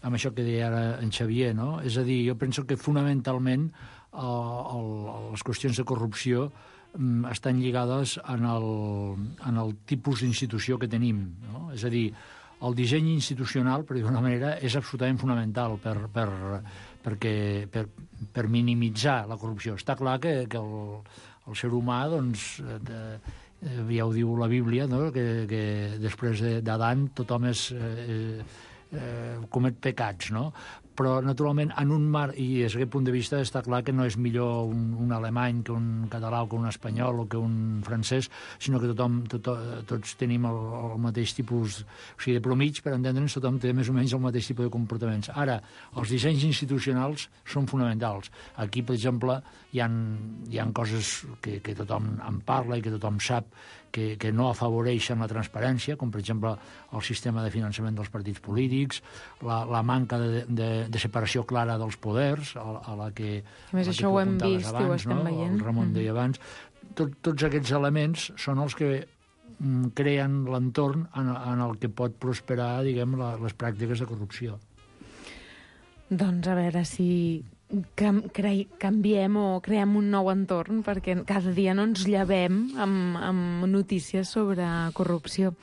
amb això que deia ara en Xavier, no? És a dir, jo penso que fonamentalment eh, el, les qüestions de corrupció mm, estan lligades en el, en el tipus d'institució que tenim, no? És a dir, el disseny institucional, per dir-ho d'una manera, és absolutament fonamental per, per, perquè, per, per minimitzar la corrupció. Està clar que, que el, el ser humà, doncs, de, ja ho diu la Bíblia, no? que, que després d'Adam tothom és, eh, eh, comet pecats, no? Però, naturalment, en un mar, i des d'aquest punt de vista està clar que no és millor un, un alemany que un català o que un espanyol o que un francès, sinó que tothom, tot, tots tenim el, el mateix tipus, o sigui, de promig, per entendre'ns, tothom té més o menys el mateix tipus de comportaments. Ara, els dissenys institucionals són fonamentals. Aquí, per exemple, hi ha, hi ha coses que, que tothom en parla i que tothom sap que, que no afavoreixen la transparència, com, per exemple, el sistema de finançament dels partits polítics, la, la manca de, de, de separació clara dels poders, a, a la que... A més, això ho hem vist abans, i ho estem no? veient. El Ramon deia abans. Tot, tots aquests elements són els que mm, creen l'entorn en, en el que pot prosperar, diguem, la, les pràctiques de corrupció. Doncs a veure si cam, cre, canviem o creem un nou entorn, perquè cada dia no ens llevem amb, amb notícies sobre corrupció.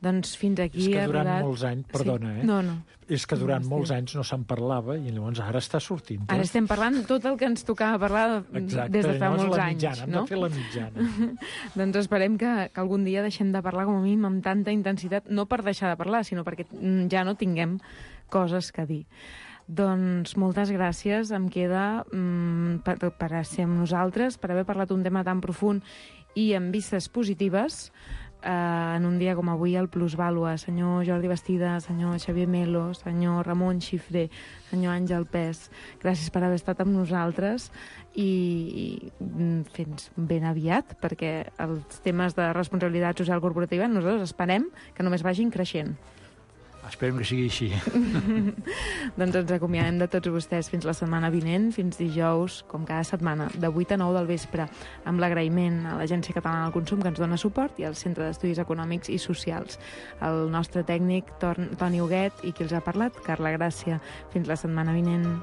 Doncs fins aquí És que ha durant arribat... molts anys, perdona, sí. eh? No, no. És que durant No, molts sí. anys no se'n parlava i llavors ara està sortint. Ara estem parlant tot el que ens tocava parlar Exacte, des de fa llavors molts la anys, mitjana, no? Hem de fer la mitjana. Doncs esperem que, que algun dia deixem de parlar com a mínim amb tanta intensitat, no per deixar de parlar, sinó perquè mm, ja no tinguem coses que dir. Doncs moltes gràcies, em queda mm, per, per ser amb nosaltres, per haver parlat un tema tan profund i amb vistes positives, eh, en un dia com avui al Plusvàlua. Senyor Jordi Bastida, senyor Xavier Melo, senyor Ramon Xifré, senyor Àngel Pes, gràcies per haver estat amb nosaltres i, i fins ben aviat, perquè els temes de responsabilitat social corporativa nosaltres esperem que només vagin creixent. Esperem que sigui així. Doncs ens acomiadem de tots vostès fins la setmana vinent, fins dijous, com cada setmana, de vuit a nou del vespre, amb l'agraïment a l'Agència Catalana del Consum que ens dona suport i al Centre d'Estudis Econòmics i Socials. El nostre tècnic, Toni Huguet, i qui els ha parlat, Carla Gràcia. Fins la setmana vinent.